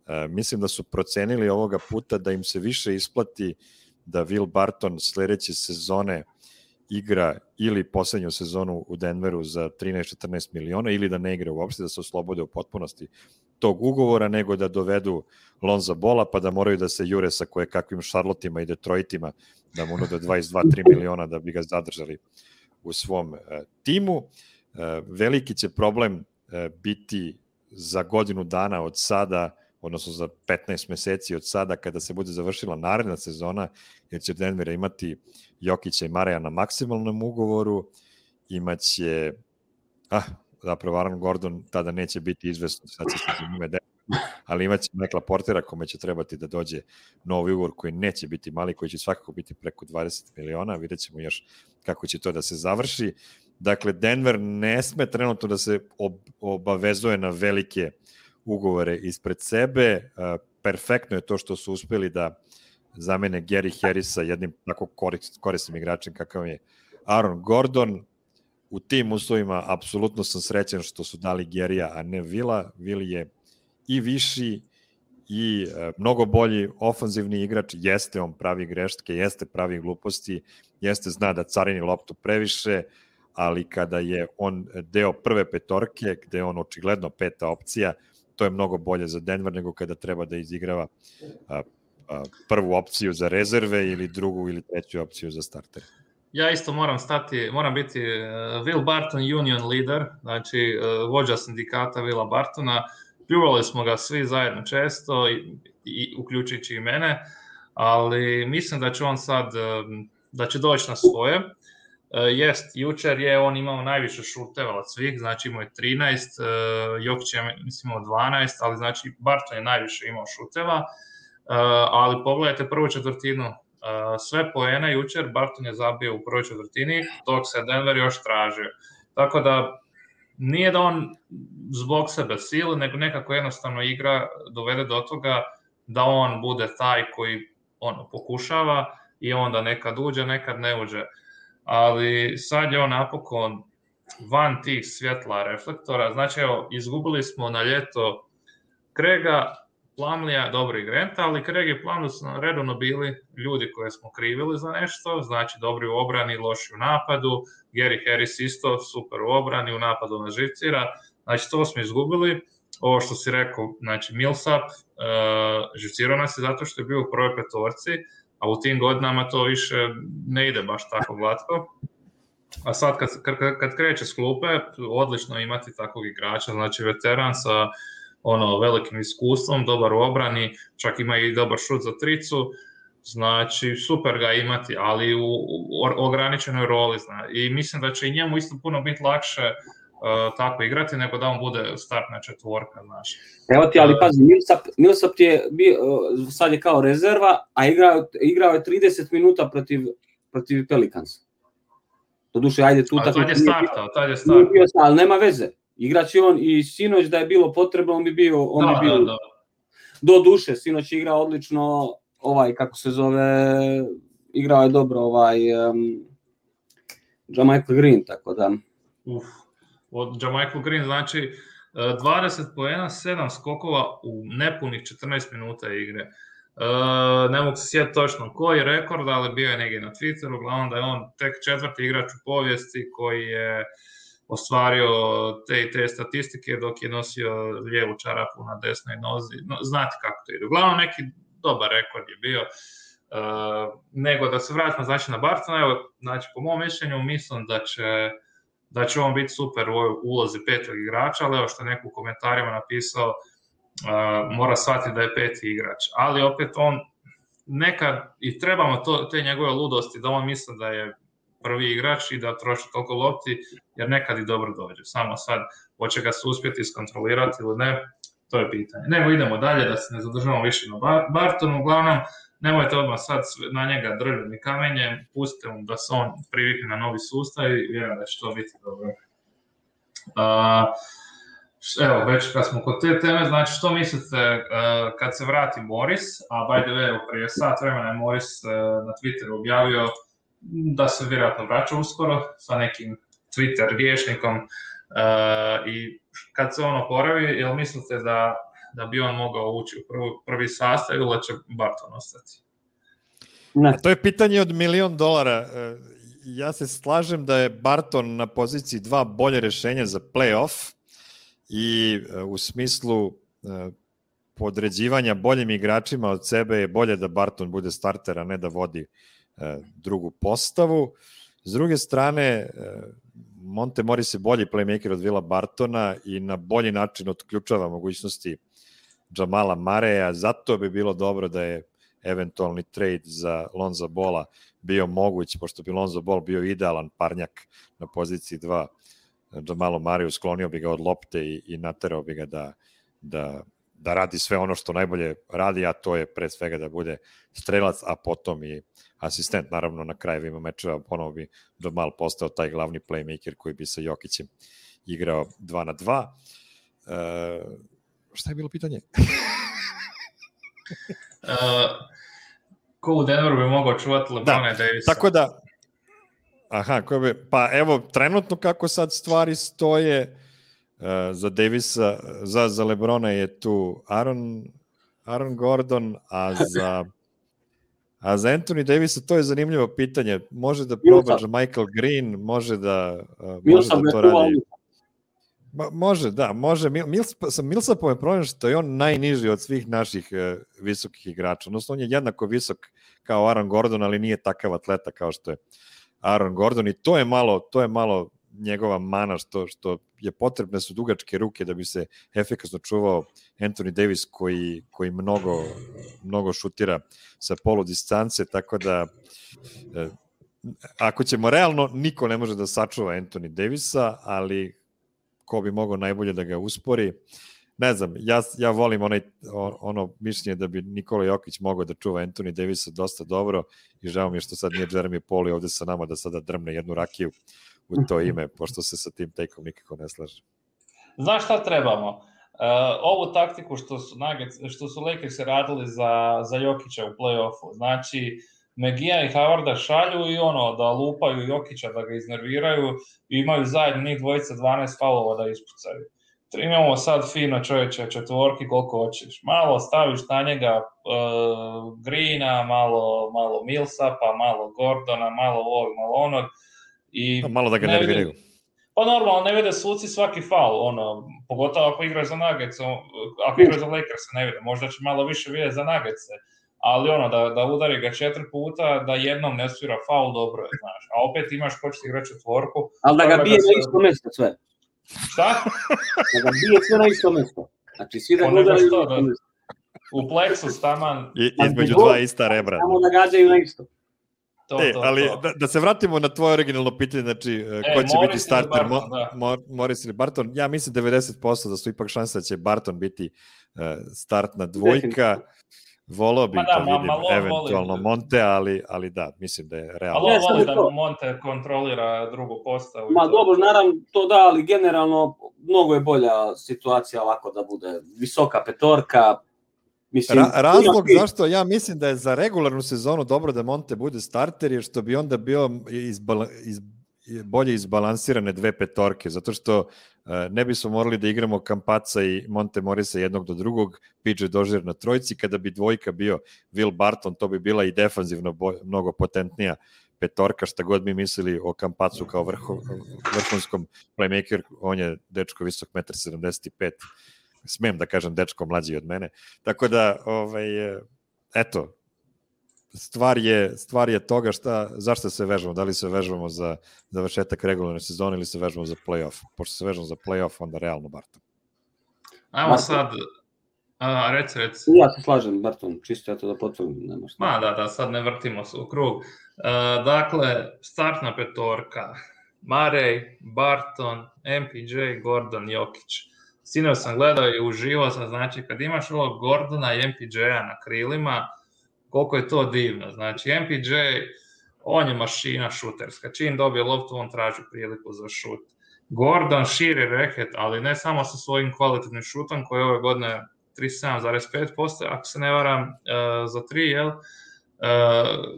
E, mislim da su procenili ovoga puta da im se više isplati da Will Barton sledeće sezone igra ili poslednju sezonu u Denveru za trinaest četrnaest miliona ili da ne igra uopšte, da se oslobode u potpunosti tog ugovora, nego da dovedu Lonza Balla pa da moraju da se jure sa koje kakvim Charlottima i Detroitima da mu nude dvadeset dva do tri miliona da bi ga zadržali u svom uh, timu. Uh, veliki će problem uh, biti za godinu dana od sada, odnosno za petnaest meseci od sada kada se bude završila naredna sezona, jer će Denver imati Jokića i Mareja na maksimalnom ugovoru, imaće, ah, zapravo Aaron Gordon tada neće biti izvesno, sad će se za njime de, ali imaće Michaela Portera kome će trebati da dođe novi ugovor koji neće biti mali, koji će svakako biti preko dvadeset miliona, vidjet ćemo još kako će to da se završi. Dakle, Denver ne sme trenutno da se obavezuje na velike ugovore ispred sebe. Perfektno je to što su uspeli da zamene Gary Harrisa jednim tako korisnim igračem kakav je Aaron Gordon. U tim uslovima apsolutno sam srećan što su dali Garyja, a ne Villa. Will je i viši i e, mnogo bolji ofanzivni igrač, jeste on pravi greške, jeste pravi gluposti, jeste zna da carini loptu previše, ali kada je on deo prve petorke, gde je on očigledno peta opcija, to je mnogo bolje za Denver nego kada treba da izigrava a, a, prvu opciju za rezerve ili drugu ili treću opciju za starter. Ja isto moram stati, moram biti uh, Will Barton union leader, znači uh, vođa sindikata Willa Bartona. Pljuvali smo ga svi zajedno često, i, i, uključujući i mene, ali mislim da će on sad, da će doći na svoje. Uh, jest, jučer je on imao najviše šuteva od svih, znači imao je trinaest, uh, Jokić je mislim imao dvanaest, ali znači Barton je najviše imao šuteva, uh, ali pogledajte prvu četvrtinu, uh, sve poene jučer Barton je zabio u prvoj četvrtini, dok se Denver još tražio. Tako da nije da on zbog sebe sile, nego nekako jednostavno igra dovede do toga da on bude taj koji ono, pokušava i onda nekad uđe, nekad ne uđe. Ali sad je on napokon van tih svjetla reflektora. Znači, evo, izgubili smo na ljeto Craiga, Plumleya, dobro i Granta, ali Craig i Plumlee su redovno bili ljudi koje smo krivili za nešto, znači dobri u obrani, loši u napadu, Gary Harris isto super u obrani, u napadu nas živcira, znači to smo izgubili. Ovo što si rekao, znači Millsap, uh, živcirao nas je zato što je bio u prvoj petorci, a u tim godinama to više ne ide baš tako glatko. A sad kad, kad, kad kreće s klupe, odlično imati takvog igrača, znači veteran sa ono velikim iskustvom, dobar u obrani, čak ima i dobar šut za tricu, znači super ga imati, ali u, u ograničenoj roli. Zna. I mislim da će i njemu isto puno biti lakše uh, tako igrati nego da on bude startna četvorka. Znaš. Evo ti, ali pazi, Millsap, Millsap ti je bio, sad je kao rezerva, a igrao, igrao je trideset minuta protiv, protiv Pelicansa. Doduše, ajde tu tako... Tad je startao, tad je startao. Ali nema veze. Igraći on i sinoć da je bilo potrebno, on bi bio... On da, bi bio da, da. Do duše, sinoć je igrao odlično, ovaj, kako se zove, igrao je dobro ovaj um, Jamichael Green, tako da... Uf, od Jamichael Green znači dvadeset poena, sedam skokova u nepunih četrnaest minuta igre. Uh, ne mogu se sjetiti točno koji je rekord, ali bio je negdje na Twitteru, uglavnom da je on tek četvrti igrač u povijesti koji je ostvario te te statistike dok je nosio lijevu čarapu na desnoj nozi. No, znate kako to ide. Uglavnom neki dobar rekord je bio. Uh, nego da se vratimo znači na Bartona, evo, znači po mom mišljenju mislim da će da će on biti super u ovoj ulozi petog igrača, ali evo što je neko u komentarima napisao, uh, mora shvatiti da je peti igrač. Ali opet on nekad i trebamo to, te njegove ludosti da on misli da je prvi igrač i da troši toliko lopti, jer nekad i dobro dođe. Samo sad, hoće ga se uspjeti iskontrolirati ili ne, to je pitanje. Nego idemo dalje, da se ne zadržavamo više na Bartonu. Uglavnom, nemojte odmah sad na njega drljati ni kamenje, pustite mu da se on privikne na novi sustav i vjerujem da će to biti dobro. Uh, evo, već kad smo kod te teme, znači što mislite uh, kad se vrati Morris, a by the way, prije sat vremena je Morris uh, na Twitteru objavio da se vjerojatno vraća uskoro sa nekim Twitter rječnikom uh, i kad se on oporavi, jel mislite da, da bi on mogao ući u prvi, prvi sastav ili će Barton ostati? Ne. To je pitanje od milion dolara. Ja se slažem da je Barton na poziciji dva bolje rešenja za play-off i u smislu podređivanja boljim igračima od sebe je bolje da Barton bude starter, a ne da vodi drugu postavu. S druge strane, Monte Morris je bolji playmaker od Willa Bartona i na bolji način otključava mogućnosti Jamala Mareja, zato bi bilo dobro da je eventualni trade za Lonza Balla bio moguć, pošto bi Lonzo Ball bio idealan parnjak na poziciji dva Jamalu Mareju, sklonio bi ga od lopte i, i naterao bi ga da, da, da radi sve ono što najbolje radi, a to je pre svega da bude strelac, a potom i asistent. Naravno, na krajevima mečeva ponovo bi Jamal postao taj glavni playmaker koji bi sa Jokićem igrao dva na dva. E, šta je bilo pitanje? uh, ko u Denveru bi mogao čuvati LeBrona i Davisa. Tako da, aha, ko bi, pa evo, trenutno kako sad stvari stoje, uh, za Davisa, za, za LeBrona je tu Aaron, Aaron Gordon, a za a za Anthony Davisa to je zanimljivo pitanje. Može da proba Michael Green, može da, uh, može da to radi. Ma, može, da, može. Mills, sa Millsapom je problem što je on najniži od svih naših uh, visokih igrača. Odnosno, on je jednako visok kao Aaron Gordon, ali nije takav atleta kao što je Aaron Gordon i to je malo, to je malo njegova mana što, što je potrebne su dugačke ruke da bi se efikasno čuvao Anthony Davis koji, koji mnogo, mnogo šutira sa polu distance, tako da uh, ako ćemo realno, niko ne može da sačuva Anthony Davisa, ali ko bi mogao najbolje da ga uspori. Ne znam, ja, ja volim onaj, ono mišljenje da bi Nikola Jokić mogao da čuva Anthony Davisa dosta dobro i žao mi je što sad nije Jeremy Paul ovde sa nama da sada drmne jednu rakiju u to ime, pošto se sa tim take-om nikako ne slaže. Znaš šta trebamo? Uh, ovu taktiku što su, Nuggets, što su Lakersi radili za, za Jokića u play-offu, znači Megija i Howarda šalju i ono da lupaju Jokića, da ga iznerviraju i imaju zajedno njih dvojica dvanaest faulova da ispucaju. Imamo sad fino čovječe četvorki koliko hoćeš. Malo staviš na njega uh, Greena, malo, malo Millsapa, malo Gordona, malo ovog, malo onog. I malo da ga ne nerviraju. Pa normalno, ne vide suci svaki faul, ono, pogotovo ako igraš za Nuggets, ako igraš za Lakers ne vide, možda će malo više vidjeti za Nuggets, ali ono, da, da udari ga četiri puta, da jednom ne svira faul, dobro je, znaš, a opet imaš ko će ti igrati četvorku. Ali da ga bije na isto mjesto sve. Šta? Da ga bije sve na isto mjesto. Znači, svi da gledaju isto da, mjesto. U plexus taman. I, između dva ista rebra. Samo da gađaju na isto. To, e, to, ali to. Da, da se vratimo na tvoje originalno pitanje, znači e, ko će Morris biti starter, Barton, da. Mo, Morris ili Barton, ja mislim devedeset posto da su ipak šanse da će Barton biti uh, startna dvojka, volao bih da, da vidim ma, eventualno voli. Monte, ali, ali da, mislim da je realno. Ali voli da Monte kontrolira drugu postavu. Ma dobro, naravno to da, ali generalno mnogo je bolja situacija ovako da bude visoka petorka. Mislim, Ra- razlog zašto ja mislim da je za regularnu sezonu dobro da Monte bude starter je što bi onda bio izbala, iz, bolje izbalansirane dve petorke, zato što uh, ne bismo morali da igramo Campazza i Monte Morisa jednog do drugog, P J Dozier na trojci, kada bi dvojka bio Will Barton, to bi bila i defanzivno bo- mnogo potentnija petorka, šta god mi mislili o Campazzu kao vrhu, vrhunskom playmaker, on je dečko visok jedan sedamdeset pet, smem da kažem dečko mlađi od mene, tako da ovaj, eto, stvar je, stvar je toga šta, zašto se vežemo, da li se vežemo za završetak regularne sezone ili se vežemo za play-off, pošto se vežemo za play-off, onda realno Barton. Ajmo sad, a, reci, reci. Ja se slažem, Barton, čisto ja to da potvrdim, nema šta. Ma da, da, sad ne vrtimo se u krug. Uh, dakle, startna petorka, Murray, Barton, M P J, Gordon, Jokić. Sinoć sam gledao i uživao sam, znači kad imaš ovog Gordona i M P J-a na krilima, koliko je to divno. Znači M P J, on je mašina šuterska, čim dobije loptu, on traži priliku za šut. Gordon širi reket, ali ne samo sa svojim kvalitetnim šutom, koji je ove godine trideset sedam zarez pet posto, ako se ne varam, uh, za tri, jel? Uh,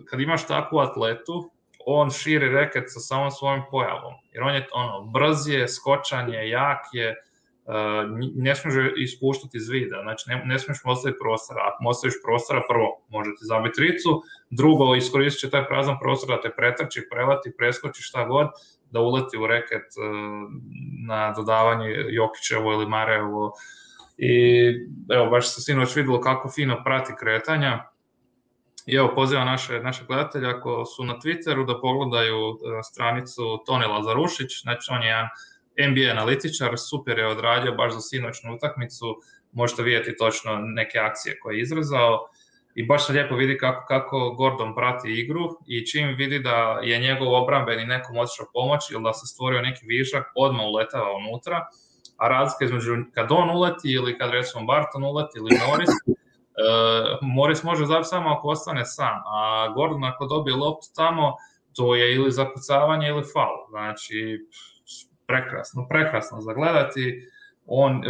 kad imaš takvu atletu, on širi reket sa samom svojim pojavom, jer on je ono, brz je, skočan je, jak je, Uh, ne smiješ ispuštati iz vida, znači ne, ne smiješ mu ostaviti prostora, ako mu ostaviš prostora, prvo može ti zabiti tricu, drugo iskoristit će taj prazan prostor da te pretrči, prelati, preskoči šta god, da uleti u reket uh, na dodavanje Jokićevo ili Marejevo i evo baš se sinoć vidjelo kako fino prati kretanja i evo pozivam naše, naše gledatelje ako su na Twitteru da pogledaju uh, stranicu Toni Lazarušić, znači on je jedan N B A analitičar, super je odradio baš za sinoćnu utakmicu, možete vidjeti točno neke akcije koje je izrezao i baš se lijepo vidi kako, kako Gordon prati igru i čim vidi da je njegov obrambeni nekom otišao pomoć ili da se stvorio neki višak, odmah uletava unutra, a razlika između kad on uleti ili kad recimo Barton uleti ili Morris, uh, Morris može zabiti samo ako ostane sam, a Gordon ako dobije loptu tamo, to je ili zakucavanje ili faul, znači prekrasno, prekrasno za gledati. on,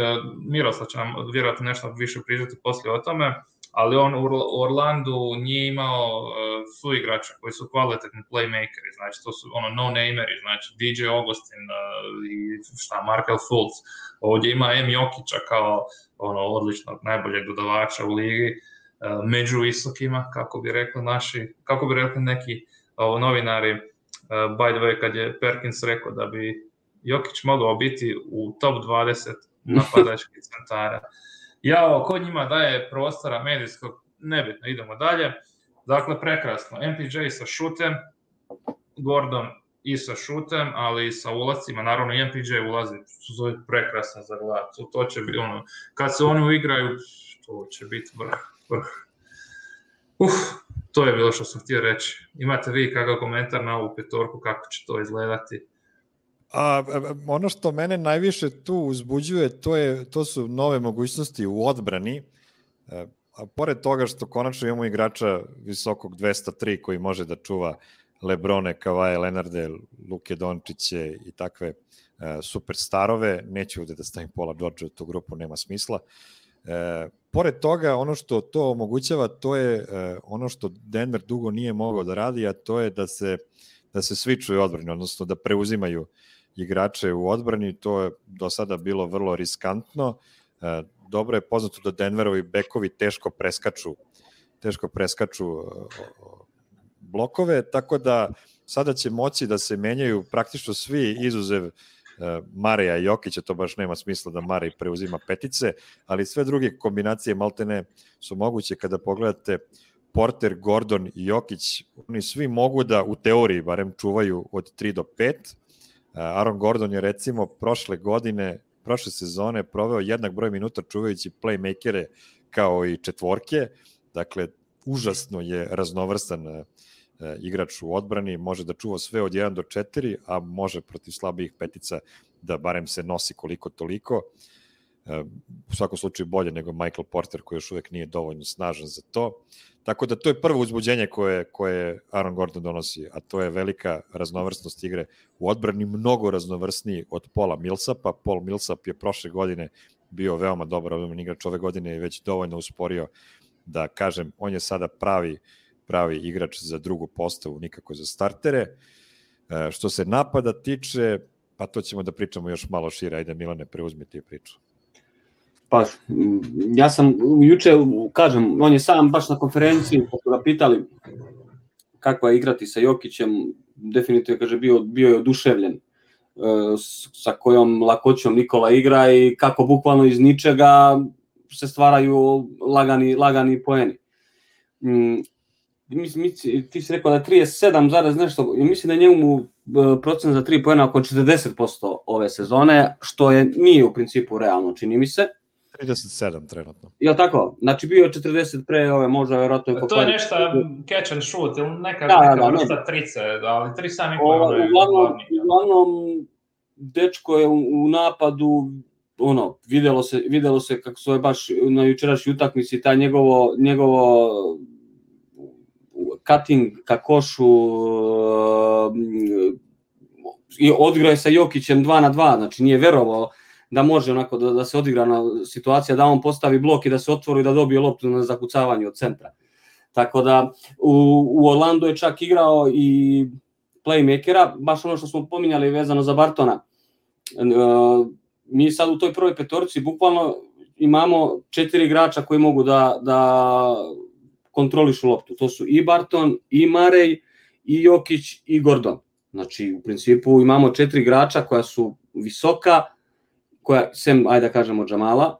Miroslav će nam vjerojatno nešto više pričati poslije o tome, ali on u Orlandu nije imao suigrača koji su kvalitetni playmakeri, znači to su ono no-nameri, znači D J Augustin i šta, Markel Fultz. Ovdje ima M. Jokića kao ono odličnog, najboljeg dodavača u ligi, među visokima, kako bi rekli naši, kako bi rekli neki ovo, novinari, by the way, kad je Perkins rekao da bi Jokić mogao biti u top dvadeset napadačkih centara. Jao, ko njima daje prostora medijskog, nebitno, idemo dalje. Dakle, prekrasno. M P J sa šutem, Gordon i sa šutem, ali i sa ulazcima. Naravno, i M P J ulazi, to je prekrasno za gledati. To će biti ono, kad se oni uigraju, to će biti vrh, vrh. Uf, to je bilo što sam htio reći. Imate vi kakav komentar na ovu petorku, kako će to izgledati? A, ono što mene najviše tu uzbuđuje, to, je, to su nove mogućnosti u odbrani, a pored toga što konačno imamo igrača visokog dvesta tri koji može da čuva Lebrone, Kavaje, Lenarde, Luke Dončiće i takve uh, superstarove, neću ovde da stavim Paula Georgea u tu grupu, nema smisla. E, pored toga, ono što to omogućava, to je e, ono što Denver dugo nije mogao da radi, a to je da se, da se svičuju odbrani, odnosno da preuzimaju igrače u odbrani. To je do sada bilo vrlo riskantno. E, dobro je poznato da Denverovi bekovi teško preskaču, teško preskaču e, blokove, tako da sada će moći da se menjaju praktično svi izuzev Mareja i Jokića, to baš nema smisla da Marej preuzima petice, ali sve druge kombinacije maltene su moguće kada pogledate Porter, Gordon i Jokić, oni svi mogu da u teoriji barem čuvaju od tri do pet. Aaron Gordon je recimo prošle godine, prošle sezone proveo jednak broj minuta čuvajući playmakere kao i četvorke, dakle užasno je raznovrstan igrač u odbrani, može da čuva sve od jedan do četiri, a može protiv slabijih petica da barem se nosi koliko toliko. U svakom slučaju bolje nego Michael Porter koji još uvek nije dovoljno snažan za to. Tako da to je prvo uzbuđenje koje, koje Aaron Gordon donosi, a to je velika raznovrsnost igre u odbrani, mnogo raznovrsniji od Paula Millsapa. Paul Millsap je prošle godine bio veoma dobar odbrani igrač, ove godine je već dovoljno usporio da kažem, on je sada pravi pravi igrač za drugu postavu, nikako za startere. E, što se napada tiče, pa to ćemo da pričamo još malo šire, ajde Milane, preuzmi ti priču. Pa, ja sam juče, kažem, on je sam baš na konferenciji, kad su ga pitali kakva je igrati sa Jokićem, definitivno kaže, bio, bio je oduševljen e, sa kojom lakoćom Nikola igra i kako bukvalno iz ničega se stvaraju lagani, lagani poeni. Mm, Mislim, ti si rekao da je trideset sedam zarez nešto, mislim da je njemu procent za tri poena oko četrdeset posto ove sezone, što je nije u principu realno, čini mi se. trideset sedam trenutno. Jel tako? Znači bio je četrdeset pre ove, možda vjerojatno je... To je nešto catch and shoot, ili neka, da, neka da, vrsta ne. trice, ali tri sami pojena. Uglavnom, uglavnom, dečko je u, u napadu, ono, videlo se, videlo se kako su je baš na jučerašnjoj utakmici, ta njegovo, njegovo cutting ka košu i odigrao je sa Jokićem dva na dva, znači nije verovao da može onako da, da se odigra na situacija, da on postavi blok i da se otvori da dobije loptu na zakucavanje od centra. Tako da u, u Orlandu je čak igrao i playmakera, baš ono što smo pominjali vezano za Bartona. E, mi sad u toj prvoj petorci bukvalno imamo četiri igrača koji mogu da, da kontrolišu loptu. To su i Barton, i Marej, i Jokić, i Gordon. Znači, u principu imamo četiri igrača koja su visoka, koja, sem, ajde da kažemo, Džamala,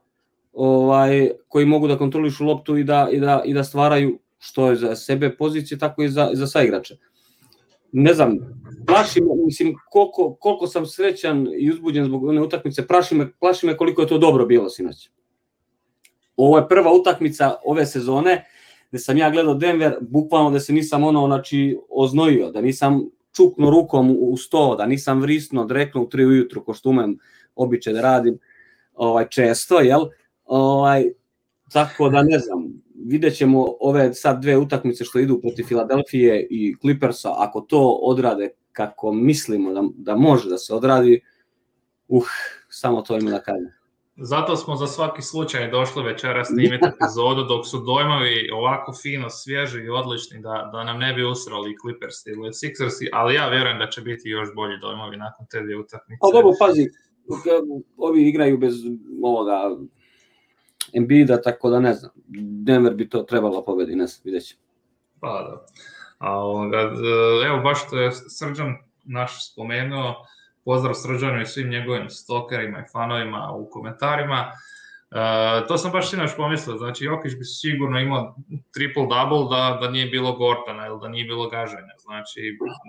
ovaj, koji mogu da kontrolišu loptu i da, i da, i da stvaraju što je za sebe pozicije, tako i za, za saigrače. Ne znam, plaši me, mislim, koliko, koliko sam srećan i uzbuđen zbog one utakmice, plaši me, plaši me koliko je to dobro bilo sinoć. Ovo je prva utakmica ove sezone, gde sam ja gledao Denver, bukvalno da se nisam ono, znači, oznojio, da nisam čuknuo rukom u sto, da nisam vrisno, dreknuo u tri ujutru, ko što umem običaj da radim ovaj, često, jel? Ovaj, tako da ne znam, vidjet ćemo ove sad dve utakmice što idu protiv Filadelfije i Clippersa, ako to odrade kako mislimo da, da može da se odradi, uh, samo to ima da kažem. zato smo za svaki slučaj došli večera snimiti epizodu dok su dojmovi ovako fino, svježi i odlični da, da nam ne bi usrali Clippers ili Sixersi, ali ja vjerujem da će biti još bolji dojmovi nakon te dvije utakmice. A dobro, pazi, ovi igraju bez ovoga Embida, tako da ne znam, Denver bi to trebalo pobedi, ne znam, vidjet ćemo. Pa da. A ovoga, evo baš što je Srđan naš spomenuo, pozdrav Srđanu i svim njegovim stokerima i fanovima u komentarima. Uh, to sam baš sinoć pomislio, znači Jokić bi sigurno imao triple-double da, da nije bilo Gordona ili da nije bilo gaženja, znači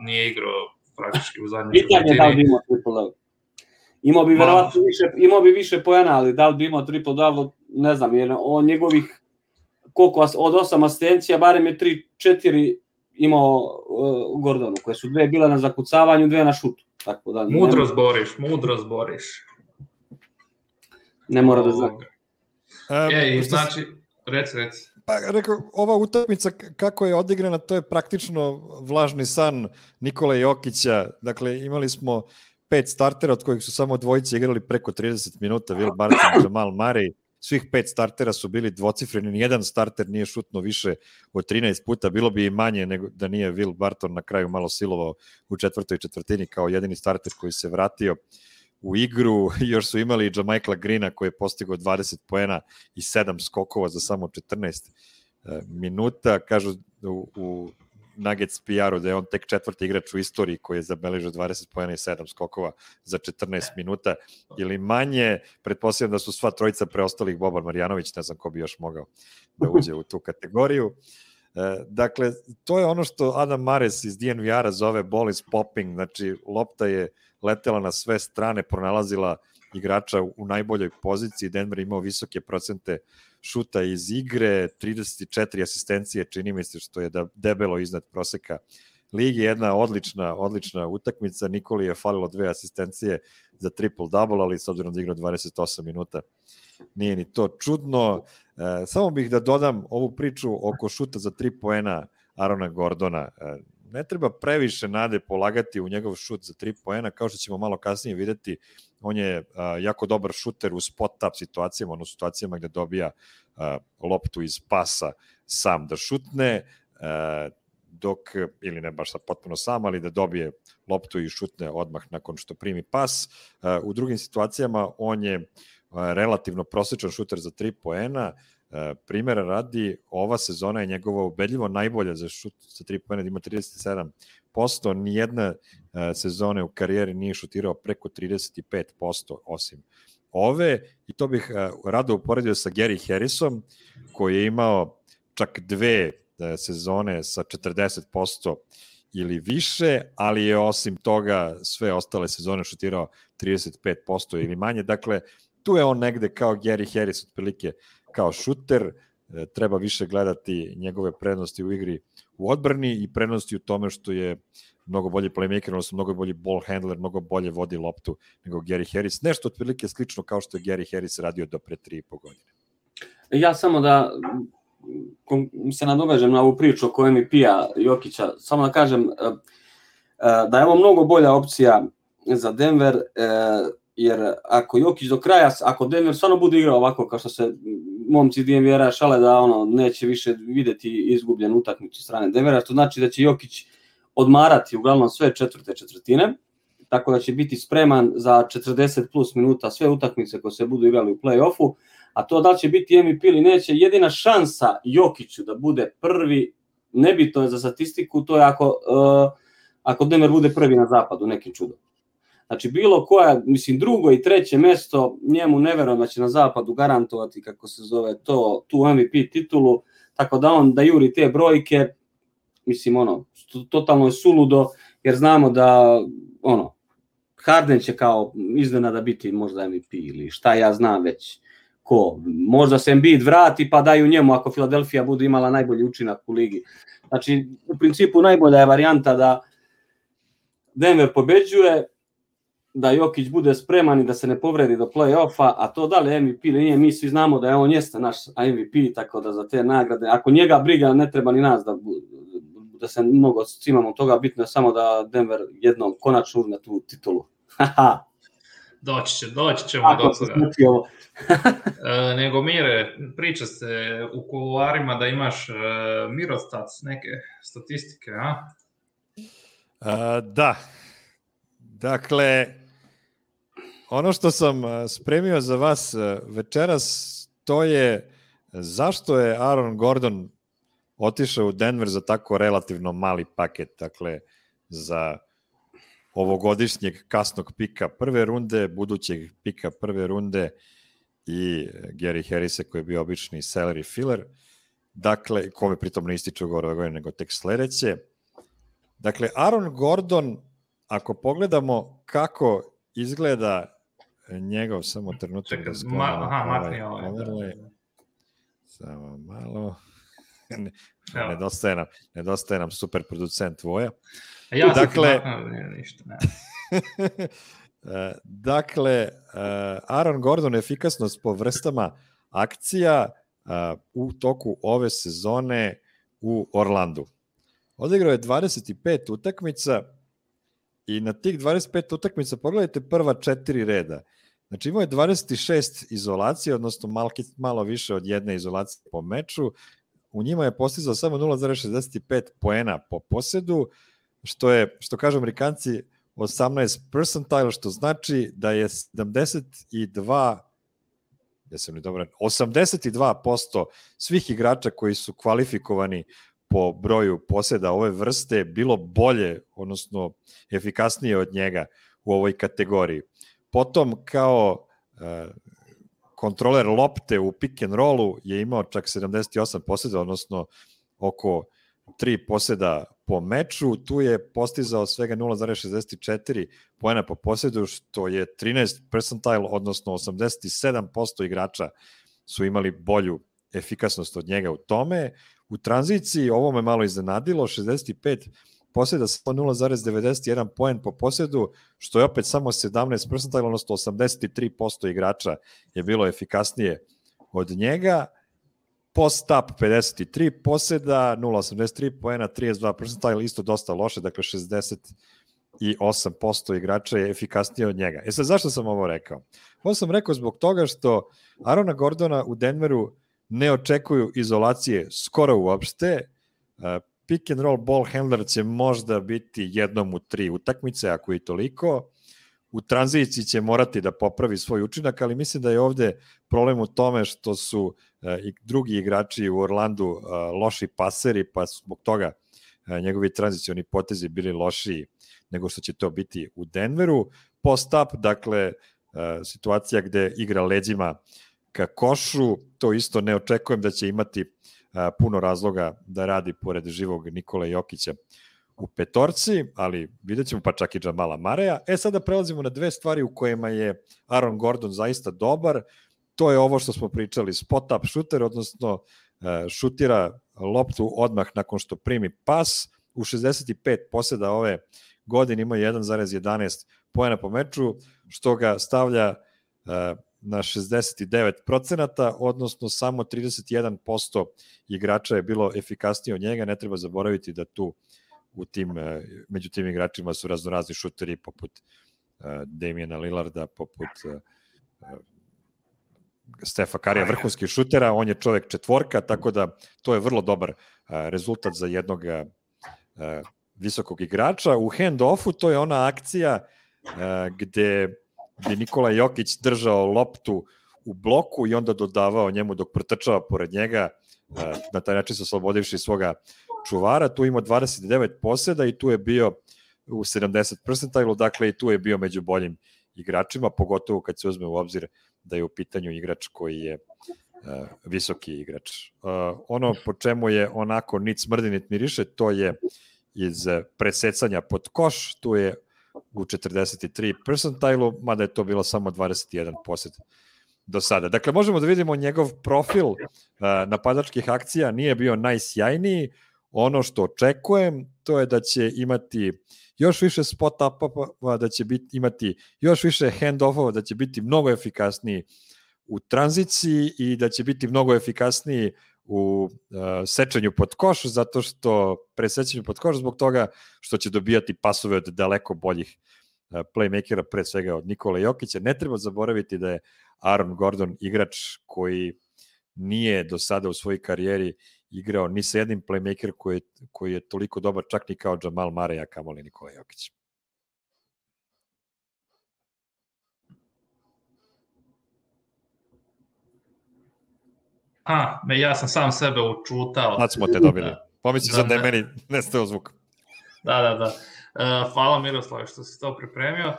nije igrao praktički u zadnjoj četvrtini. Pitanje da li bi imao triple-double. Imao bi verovatno više, imao bi više poena, ali da li bi imao triple-double, ne znam, jer on njegovih koliko od osam asistencija, barem je tri četiri imao uh, Gordonu, koje su dve bile na zakucavanju, dve na šutu. Tako da, mudro zboriš, mudro zboriš. Ne mora da zna. E, i znači, reci, reci. Pa, rekao, ova utakmica kako je odigrana, to je praktično vlažni san Nikole Jokića. Dakle, imali smo pet startera, od kojih su samo dvojice igrali preko trideset minuta, Will Barton i Jamal Murray. Svih pet startera su bili dvocifreni, nijedan starter nije šutno više od trinaest puta, bilo bi i manje nego da nije Will Barton na kraju malo silovao u četvrtoj četvrtini kao jedini starter koji se vratio u igru. Još su imali i Jamichaela Greena koji je postigao dvadeset poena i sedam skokova za samo četrnaest minuta. Kažu u, u Nuggets P R-u da je on tek četvrti igrač u istoriji koji je zabeležio dvadeset poena i sedam skokova za četrnaest minuta ili manje. Pretpostavljam da su sva trojica preostalih Boban Marjanović, ne znam ko bi još mogao da uđe u tu kategoriju. Dakle, to je ono što Adam Mares iz D N V R-a zove ball is popping, znači lopta je letela na sve strane, pronalazila igrača u najboljoj poziciji. Denver imao visoke procente šuta iz igre, trideset četiri asistencije, čini mi se što je debelo iznad proseka ligi. Jedna odlična, odlična utakmica. Nikoli je falilo dve asistencije za triple-double, ali s obzirom da igrao dvadeset osam minuta nije ni to čudno. E, samo bih da dodam ovu priču oko šuta za tri poena Arona Gordona. E, ne treba previše nade polagati u njegov šut za tri poena, kao što ćemo malo kasnije videti, on je a, jako dobar šuter u spot-up situacijama, ono situacijama gde dobija a, loptu iz pasa sam da šutne, a, dok, ili ne baš sad potpuno sam, ali da dobije loptu i šutne odmah nakon što primi pas. A, u drugim situacijama on je a, relativno prosječan šuter za tri poena. Primjera radi, ova sezona je njegova ubedljivo najbolja za šut sa tri poena, da ima trideset sedam posto, nijedna sezone u karijeri nije šutirao preko trideset pet posto osim ove, i to bih rado uporedio sa Gary Harrisom, koji je imao čak dve sezone sa četrdeset posto ili više, ali je osim toga sve ostale sezone šutirao trideset pet posto ili manje. Dakle, tu je on negde kao Gary Harris, otprilike kao šuter. Treba više gledati njegove prednosti u igri u odbrani i prednosti u tome što je mnogo bolji playmaker, odnosno mnogo bolji ball handler, mnogo bolje vodi loptu nego Gary Harris. Nešto otprilike slično kao što je Gary Harris radio do pre tri i po godine. Ja samo da se nadovežem na ovu priču oko M V P-a Jokića, samo da kažem da je ovo mnogo bolja opcija za Denver, jer ako Jokić do kraja, ako Denver stvarno bude igrao ovako kao što se momci D N V R-a šale da ono neće više videti izgubljen utakmicu strane Denvera, to znači da će Jokić odmarati uglavnom sve četvrte četvrtine, tako da će biti spreman za četrdeset plus minuta sve utakmice koje se budu igrali u play-offu, a to da li će biti M V P ili neće, jedina šansa Jokiću da bude prvi, nebitno je za statistiku, to je ako, uh, ako Denver bude prvi na zapadu, nekim čudom. Znači, bilo koja, mislim, drugo i treće mesto, njemu ne verujem da će na zapadu garantovati, kako se zove to, tu M V P titulu, tako da on da juri te brojke, mislim, ono, totalno je suludo, jer znamo da, ono, Harden će kao iznenada biti možda M V P ili šta ja znam već ko. Možda se Embiid vrati pa daju njemu ako Philadelphia bude imala najbolji učinak u ligi. Znači, u principu najbolja je varijanta da Denver pobeđuje, da Jokić bude spreman i da se ne povredi do play-offa, a to da li M V P ili nije, mi svi znamo da je on jeste naš M V P, tako da za te nagrade, ako njega briga, ne treba ni nas da, da se mnogo cimamo toga, bitno je samo da Denver jednom konačno uzme tu titulu. Doći će, doći ćemo do toga. e, nego Mire, priča se u kuloarima da imaš e, Mirostats, neke statistike, a? a da. Dakle, ono što sam spremio za vas večeras, to je zašto je Aaron Gordon otišao u Denver za tako relativno mali paket, dakle, za ovogodišnjeg kasnog pika prve runde, budućeg pika prve runde i Gary Harrisa koji je bio obični salary filler, dakle, kome pritom ne ističe ugovor ove godine, nego tek sledeće. Dakle, Aaron Gordon, ako pogledamo kako izgleda njegov, samo trenutak Čekaj, da ma, aha, makni ovaj. ovaj samo malo. Ne, nedostaje, nam, nedostaje nam super producent Voja. A ja sam dakle, ne, ništa, ne. dakle, Aaron Gordon efikasnost po vrstama akcija u toku ove sezone u Orlandu. Odigrao je dvadeset pet utakmica i na tih dvadeset pet utakmica pogledajte prva četiri reda. Znači imao je dvadeset šest izolacije, odnosno malo, malo više od jedne izolacije po meču. U njima je postizao samo nula zarez šezdeset pet poena po posedu, što je, što kažu Amerikanci, osamnaest percentile, što znači da je sedamdeset dva, jesam li dobro, osamdeset dva posto svih igrača koji su kvalifikovani po broju poseda ove vrste bilo bolje, odnosno efikasnije od njega u ovoj kategoriji. Potom kao uh, kontroler lopte u pick and rollu je imao čak sedamdeset osam poseda, odnosno oko tri poseda po meču. Tu je postizao svega nula zarez šezdeset četiri poena po posedu, što je trinaest percentile, odnosno osamdeset sedam posto igrača su imali bolju efikasnost od njega u tome. U tranziciji ovo me malo iznenadilo, šezdeset pet poseda samo nula zarez devedeset jedan poen po posedu, što je opet samo sedamnaest percentile, odnosno osamdeset tri posto igrača je bilo efikasnije od njega. Post-up pedeset tri poseda, nula zarez osamdeset tri poena, trideset dva percentile, isto dosta loše, dakle šezdeset osam posto igrača je efikasnije od njega. E sad, zašto sam ovo rekao? Ovo sam rekao zbog toga što Aarona Gordona u Denveru ne očekuju izolacije skoro uopšte. Pick and roll ball handler će možda biti jednom u tri utakmice, ako i toliko. U tranziciji će morati da popravi svoj učinak, ali mislim da je ovde problem u tome što su i drugi igrači u Orlandu loši paseri, pa zbog toga njegovi tranzicioni potezi bili lošiji nego što će to biti u Denveru. Post-up, dakle, situacija gde igra leđima ka košu, to isto ne očekujem da će imati puno razloga da radi pored živog Nikola Jokića u petorci, ali vidjet ćemo, pa čak i Jamala Mareja. E, sada prelazimo na dve stvari u kojima je Aaron Gordon zaista dobar. To je ovo što smo pričali, spot-up shooter, odnosno šutira loptu odmah nakon što primi pas. U šezdeset pet poseda ove godine ima jedan zarez jedanaest poena po meču, što ga stavlja na šezdeset devet procenata, odnosno samo trideset jedan posto igrača je bilo efikasnije od njega. Ne treba zaboraviti da tu u tim, među tim igračima su raznorazni šuteri poput uh, Damiana Lillarda, poput uh, Stefa Karija, vrhunskih šutera, on je čovek četvorka, tako da to je vrlo dobar uh, rezultat za jednog uh, visokog igrača. U hand-offu to je ona akcija uh, gde gde Nikola Jokić držao loptu u bloku i onda dodavao njemu dok protrčava pored njega, na taj način se oslobodivši svoga čuvara. Tu ima dvadeset devet poseda i tu je bio u sedamdeset percentile, dakle i tu je bio među boljim igračima, pogotovo kad se uzme u obzir da je u pitanju igrač koji je uh, visoki igrač. Uh, ono po čemu je onako nit smrdi nit miriše, to je iz presecanja pod koš, tu je u četrdeset tri percentile, mada je to bilo samo dvadeset jedan posed do sada. Dakle, možemo da vidimo njegov profil uh, napadačkih akcija, nije bio najsjajniji. Ono što očekujem, to je da će imati još više spot-upova, da će biti, imati još više hand-offova, da će biti mnogo efikasniji u tranziciji i da će biti mnogo efikasniji u uh, sečenju pod koš, zato što presećenju pod koš zbog toga što će dobijati pasove od daleko boljih playmakera, pre svega od Nikola Jokića. Ne treba zaboraviti da je Aaron Gordon igrač koji nije do sada u svojoj karijeri igrao ni sa jednim playmaker koji, koji je toliko dobar, čak ni kao Jamal Murray, a kamoli Nikola Jokić. A, ja sam sam sebe učutao. Sad smo te dobili. Pomislim sad da je meni nestao zvuk. Da, da, da. Uh, hvala Miroslav što si to pripremio. Uh,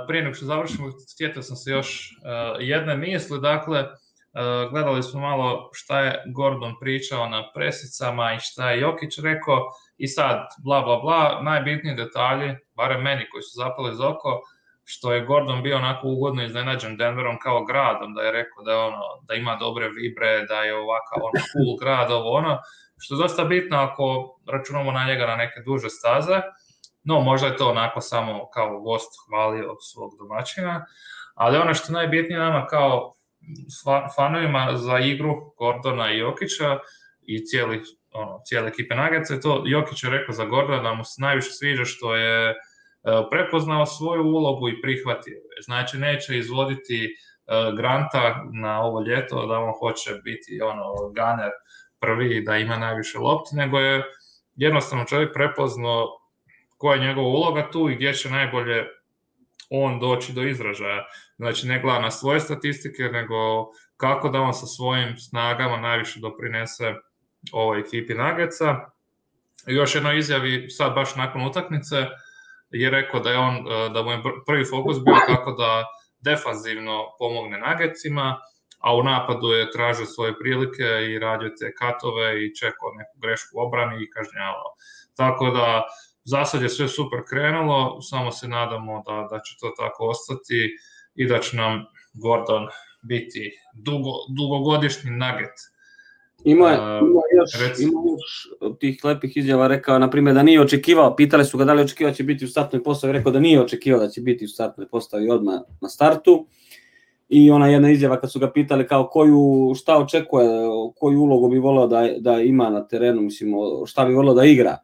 prije nego što završimo, sjetio sam se još uh, jedne misli. Dakle, uh, gledali smo malo šta je Gordon pričao na presicama i šta je Jokić rekao i sad bla bla bla, najbitniji detalji, barem meni koji su zapali iz oko, što je Gordon bio onako ugodno iznenađen Denverom kao gradom, da je rekao da je ono, da ima dobre vibre, da je ovakav ono cool grad, ovo ono, što je dosta bitno ako računamo na njega na neke duže staze. No, možda je to onako samo kao gost hvalio svog domaćina, ali ono što je najbitnije nama kao fanovima za igru Gordona i Jokića i cijeli, ono, cijele ekipe Nuggetsa je to, Jokić je rekao za Gordona da mu se najviše sviđa što je prepoznao svoju ulogu i prihvatio. Znači, neće izvoditi Granta na ovo ljeto da on hoće biti ono gunner prvi, da ima najviše lopti, nego je jednostavno čovjek prepoznao koja je njegova uloga tu i gdje će najbolje on doći do izražaja. Znači, ne gleda na svoje statistike, nego kako da on sa svojim snagama najviše doprinese ovoj ekipi Nuggetsa. I još jedno izjavi, sad baš nakon utakmice, je rekao da je on, da mu je prvi fokus bio kako da defanzivno pomogne Nuggetsima, a u napadu je tražio svoje prilike i radio te katove i čekao neku grešku u obrani i kažnjavao. Tako da, za sad je sve super krenulo, samo se nadamo da, da će to tako ostati i da će nam Gordon biti dugo, dugogodišnji Nugget. Ima, uh, ima, još, ima još tih lepih izjava, rekao, na primjer, da nije očekivao, pitali su ga da li očekivao da će biti u startnoj postavi, rekao da nije očekivao da će biti u startnoj postavi odmah na startu. I ona jedna izjava kad su ga pitali kao koju, šta očekuje, koju ulogu bi volao da, da ima na terenu, mislim, šta bi volao da igra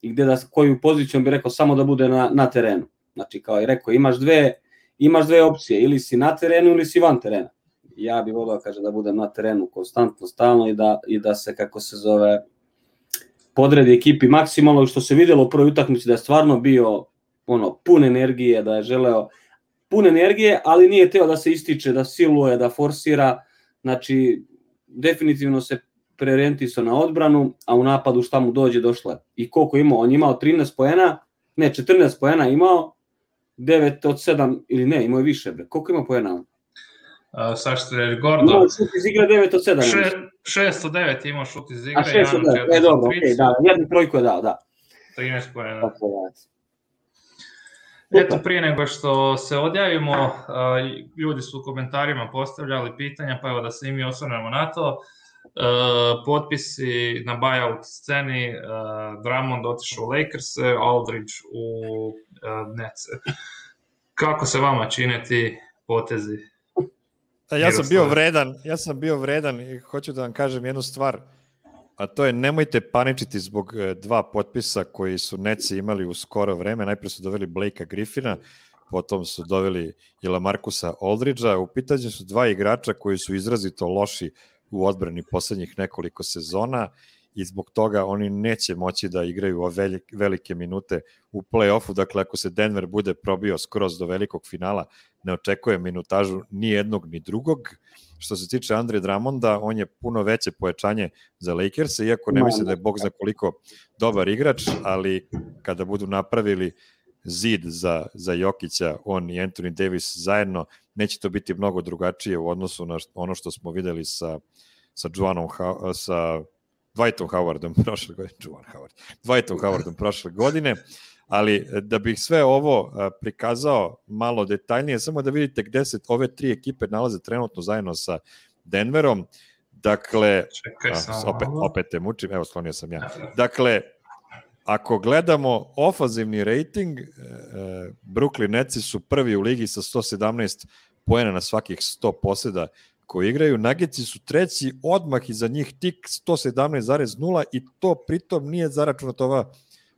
i gde da, koju poziciju bi rekao samo da bude na, na terenu. Znači, kao je rekao, imaš dve, imaš dve opcije, ili si na terenu ili si van terena. Ja bih volio, kaže, da budem na terenu konstantno, stalno i da, i da se, kako se zove, podredi ekipi maksimalno, što se vidjelo u prvoj utakmici da je stvarno bio ono, pun energije, da je želeo pun energije, ali nije teo da se ističe, da siluje, da forsira, znači definitivno se preorijentisao na odbranu, a u napadu šta mu dođe došlo je. I koliko imao? On je imao trinaest poena, ne, četrnaest poena imao, devet od sedam, ili ne, imao je više, bre. Koliko ima poena on? Uh, sad što je Gordon. Imao šut iz igre devet od sedam. šest od devet imao šut iz igre. A šest od devet, e dobro, okej, okay, da, jednu trojku je dao, da. trinaest poena. Eto, prije nego što se odjavimo, uh, ljudi su u komentarima postavljali pitanja, pa evo da se i mi osvrnemo na to. Uh, potpisi na buyout sceni, uh, Drummond otišao u Lakers, Aldridge u uh, Nets. Kako se vama čine ti potezi? Ja sam bio vredan, ja sam bio vredan i hoću da vam kažem jednu stvar, a to je nemojte paničiti zbog dva potpisa koji su Netsi imali u skoro vreme. Najprije su doveli Blakea Griffina, potom su doveli i LaMarcusa Aldridgea. U pitanju su dva igrača koji su izrazito loši u odbrani poslednjih nekoliko sezona i zbog toga oni neće moći da igraju velike minute u play-offu. Dakle, ako se Denver bude probio skroz do velikog finala, ne očekuje minutažu ni jednog ni drugog. Što se tiče Andre Drummonda, on je puno veće pojačanje za Lakers, iako ne mislim da je bog zna koliko dobar igrač, ali kada budu napravili zid za, za Jokića, on i Anthony Davis zajedno, neće to biti mnogo drugačije u odnosu na ono što smo videli sa, sa Juanom, sa Dwightom Howardom prošle godine, Juan Howard, Dwightom Howardom prošle godine, ali da bih sve ovo prikazao malo detaljnije, samo da vidite gde se ove tri ekipe nalaze trenutno zajedno sa Denverom. Dakle, Čekaj, a, opet, opet te mučim, evo sklonio sam ja. Dakle, ako gledamo ofanzivni rating, Brooklyn Netsi su prvi u ligi sa sto sedamnaest poena na svakih sto poseda koji igraju. Nuggetsi su treći, odmah iza njih tik sto sedamnaest zarez nula i to pritom nije zaračunato ova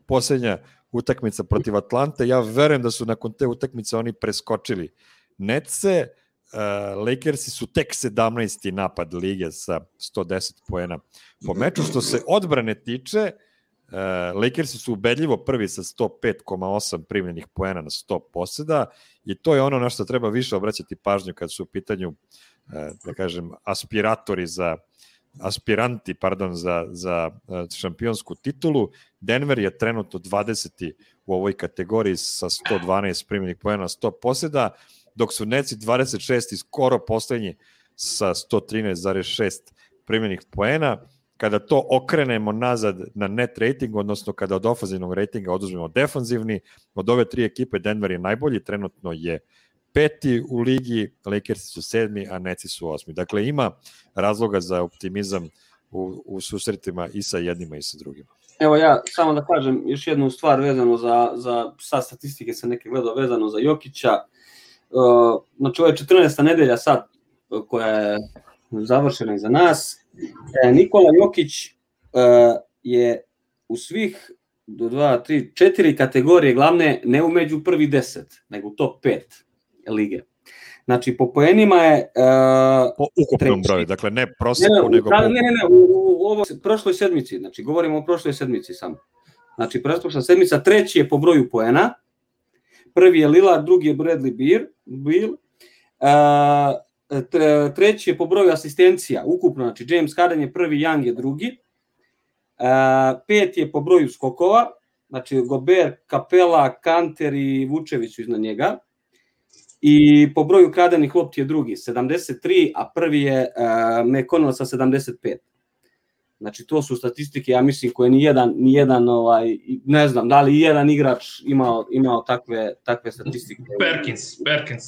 posljednja utakmica protiv Atlante. Ja verujem da su nakon te utakmice oni preskočili Netse. Uh, Lakersi su tek sedamnaesti napad lige sa sto deset poena po meču. Što se odbrane tiče, uh, Lakersi su ubedljivo prvi sa sto pet zarez osam primljenih poena na sto poseda i to je ono na što treba više obraćati pažnju kad su u pitanju, uh, da kažem, aspiratori za aspiranti, pardon, za, za šampionsku titulu. Denver je trenutno dvadeseti u ovoj kategoriji sa sto dvanaest primljenih poena na sto poseda, dok su Netsi dvadeset šesti skoro poslednji sa sto trinaest zarez šest primljenih poena. Kada to okrenemo nazad na net rating, odnosno kada od ofenzivnog ratinga oduzmemo defanzivni, od ove tri ekipe Denver je najbolji, trenutno je peti u ligi, Lakersi su sedmi, a Netsi su osmi. Dakle, ima razloga za optimizam u, u susretima i sa jednima i sa drugima. Evo ja samo da kažem još jednu stvar vezano za, za sa statistike se neke gledao vezano za Jokića. Uh, znači ovo je četrnaesta nedelja sad koja je završena iza nas. E, Nikola Jokić uh, je u svih do dva, tri, četiri kategorije glavne ne u među prvi deset, nego u top pet lige. Znači po poenima je uh, po ukupnom treći. broju, dakle ne prosjeku, ne, nego da, po... ne, ne, ne, u, u ovoj prošloj sedmici, znači govorimo o prošloj sedmici samo. Znači prošla sedmica, treći je po broju poena, prvi je Lillard, drugi je Bradley Beal, Beal uh, treći je po broju asistencija, ukupno, znači James Harden je prvi, Young je drugi, uh, pet je po broju skokova, znači Gobert, Capela, Kanter i Vučević su iznad njega, i po broju kradenih lopti je drugi, sedamdeset tri, a prvi je uh, McConnell sa sedamdeset pet. Znači to su statistike, ja mislim, koje ni jedan, ni jedan ovaj, ne znam, da li i jedan igrač imao, imao takve, takve statistike. Perkins, Perkins.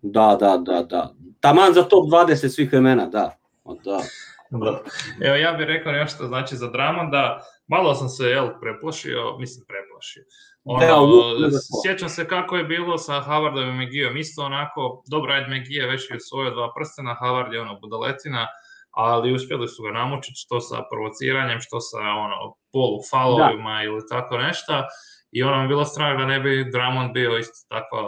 Da, da, da, da. Taman za top dvadeset svih vremena, da. da. Da. Evo ja bih rekao nešto znači za Drummonda, malo sam se jel, preplašio, mislim preplašio. Ono, da, sjećam se kako je bilo sa Howardom i McGeeom, isto onako, dobro, ajde McGee već je osvojio dva prstena, Howard je ono budaletina, ali uspjeli su ga namučiti što sa provociranjem, što sa ono, polu faulovima ili tako nešto. I ono mi je bilo strah da ne bi Drummond bio isto takva,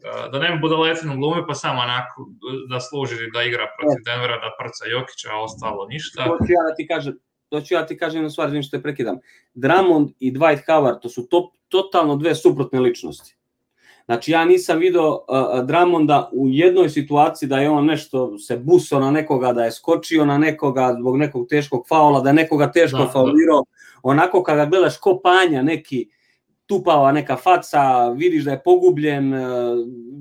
da, da ne bi budaletinu glumi, pa samo onako da služi da igra protiv Denvera, da prca Jokića, a ostalo ništa. To ću ja da ti kažem, to ću ja ti kažem jednu stvar, što te prekidam. Drummond i Dwight Howard, to su top, totalno dve suprotne ličnosti. Znači ja nisam video uh, Drummonda u jednoj situaciji da je on nešto se busao na nekoga, da je skočio na nekoga zbog nekog teškog faula, da je nekoga teško da, faulirao. Da. Onako kada gledaš ko panja neki, tupava neka faca, vidiš da je pogubljen,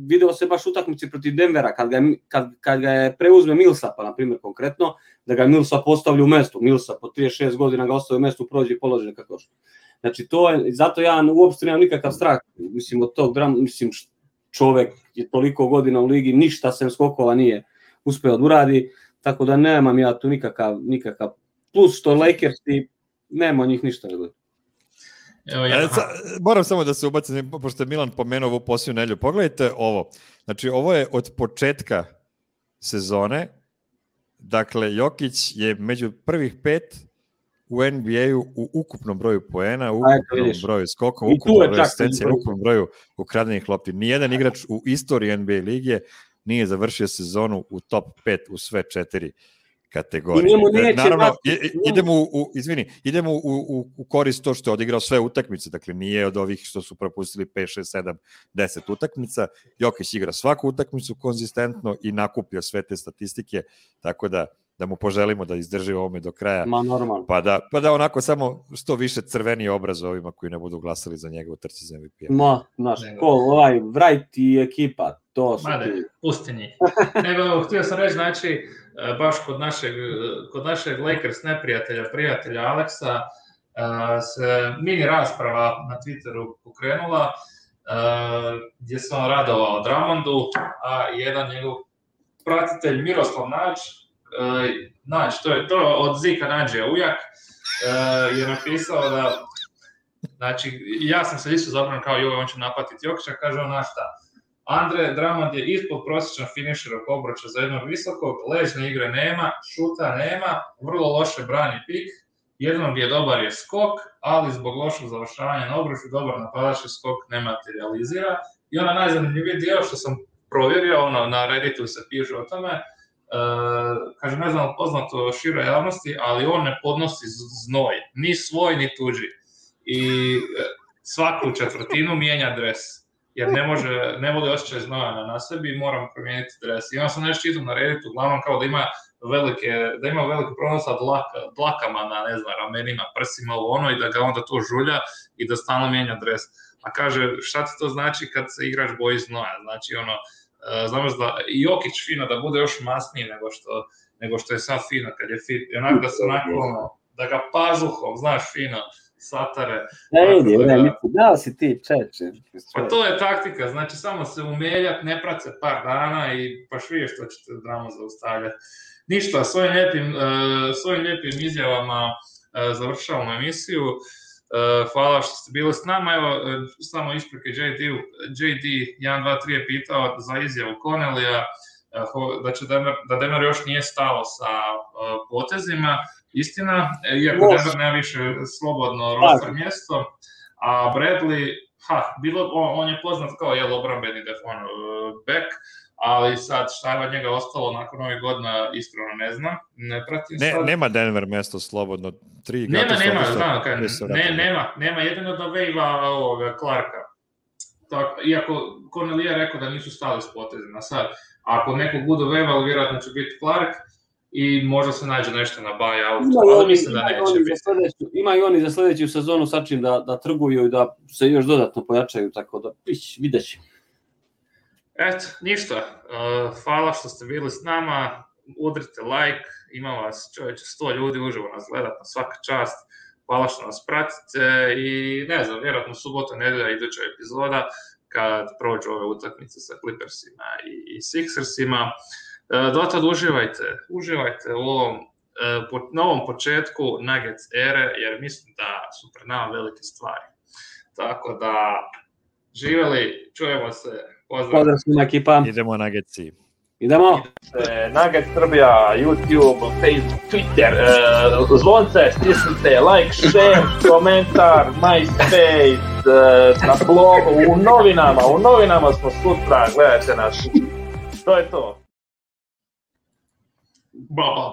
video se baš utakmici protiv Denvera, kad ga, kad, kad ga je preuzme Millsapa, na primjer konkretno, da ga Millsap postavlja u mestu, Millsap po trideset šest godina ga ostaje u mestu, prođe i položi kako što. Znači to je, zato ja uopšte nemam nikakav strah, mislim od tog drama, mislim čovek je toliko godina u ligi, ništa sem skokova nije uspeo da uradi, tako da nemam ja tu nikakav, nikakav plus što Lakersi, nema od njih ništa da gleda. Evo ja. E, sa, moram samo da se ubacim, pošto je Milan pomenuo ovu posljednju nedelju. Pogledajte ovo. Znači, ovo je od početka sezone. Dakle, Jokić je među prvih pet u N B A-u u ukupnom broju poena, u ukupnom broju skokova, u ukupnom broju asistencija, u ukupnom broju ukradenih lopti. Nijedan igrač u istoriji N B A lige nije završio sezonu u top pet u sve četiri kategorije. Naravno, idemo u, u, izvini, idemo u, u, u korist to što je odigrao sve utakmice, dakle nije od ovih što su propustili pet, šest, sedam, deset utakmica. Jokić igra svaku utakmicu konzistentno i nakuplja sve te statistike, tako da da mu poželimo da izdrži ovome do kraja. Ma normalno. Pa da, pa da onako samo što više crveni obraz ovima koji ne budu glasali za njega u trci za M V P-a. Ma, znaš, ko, ovaj, Wright i ekipa, to su... Made, pusti njih. Nego, htio sam reći, znači, baš kod našeg, kod našeg Lakers neprijatelja, prijatelja Aleksa, se mini rasprava na Twitteru pokrenula, gdje se on radovao Drummondu, a jedan njegov pratitelj Miroslav Nađ, Nađ, to je to od Zika Nađija ujak, je napisao da, znači, ja sam se isto zabrano kao joj, on će napatiti Jokića, kaže on, znaš šta, Andre Drummond je ispod prosječan finišer oko obruča za jednog visokog, ležne igre nema, šuta nema, vrlo loše brani pik jednom gdje je dobar je skok, ali zbog lošeg završavanja na obruču dobar napadački skok ne materializira. I ona najzanimljiviji dio što sam provjerio, ono, na Redditu se piše o tome, uh, kaže, ne znam poznato široj javnosti, ali on ne podnosi znoj, ni svoj, ni tuđi. I svaku četvrtinu mijenja dres, jer ne može, ne voli osjećaj znoja na sebi i moram promijeniti dres. I onda sam nešto čitam na Redditu, uglavnom kao da ima velike, da ima velike problem sa dlaka, dlakama na, ne znam, ramenima, prsima, ovo ono, i da ga onda to žulja i da stalno mijenja dres. A kaže, šta ti to znači kad se igrač boji znoja? Znači, ono, znaš da i Jokić fino da bude još masniji nego što, nego što je sad fino kad je fit. I onako da se onako, ono, da ga pazuhom, znaš, fino, satare. Ne vidi, da, ne, da si ti čeče. Pa to je taktika, znači samo se umeljat, ne prat se par dana i pa švije što ćete dramu zaustavljati. Ništa, svojim lijepim, uh, svojim lijepim izjavama uh, završavamo emisiju. Uh, hvala što ste bili s nama. Evo, uh, samo isprike J D, J D jedan dva tri je pitao za izjavu Connellija, uh, da, će Denver, da Denver još nije stalo sa uh, potezima. Istina, iako Denver nema više slobodno roster mjesto, a Bradley, ha, bilo, on, on je poznat kao jel obrambeni defon uh, back, ali sad šta je od njega ostalo nakon ovih godina, iskreno ne znam, ne pratim ne, sad. Nema Denver mjesto slobodno, tri nema, nema, znam, kaj, ne, nema, nema, jedino da vejva ovoga Clarka. Tako, iako Connelly je rekao da nisu stali s potezima, sad, ako nekog budu vejvali, vjerojatno će biti Clark, i možda se nađe nešto na buyout, ali mislim da neće biti. Sljedeću, ima i oni za sljedeću sezonu sa čim da, da trguju i da se još dodatno pojačaju, tako da pić, vidjet će. Eto, ništa. Uh, hvala što ste bili s nama. Udrite like, ima vas čovječe sto ljudi uživo nas gledat na svaka čast. Hvala što nas pratite i ne znam, vjerojatno subota, nedelja, iduća epizoda kad prođu ove utakmice sa Clippersima i, i Sixersima. Uh, dotad uživajte, uživajte u ovom uh, po, novom početku Nuggets ere, jer mislim da su pred nama velike stvari. Tako da, živjeli, čujemo se. Pozdrav. Pozdrav svima ekipa. Idemo Nuggetsi. Idemo. Nuggets Srbija, YouTube, Facebook, Twitter, uh, zvonce, stisnite, like, share, komentar, MySpace, uh, na blogu, u novinama, u novinama smo sutra, gledajte nas. To je to. Ba, ba.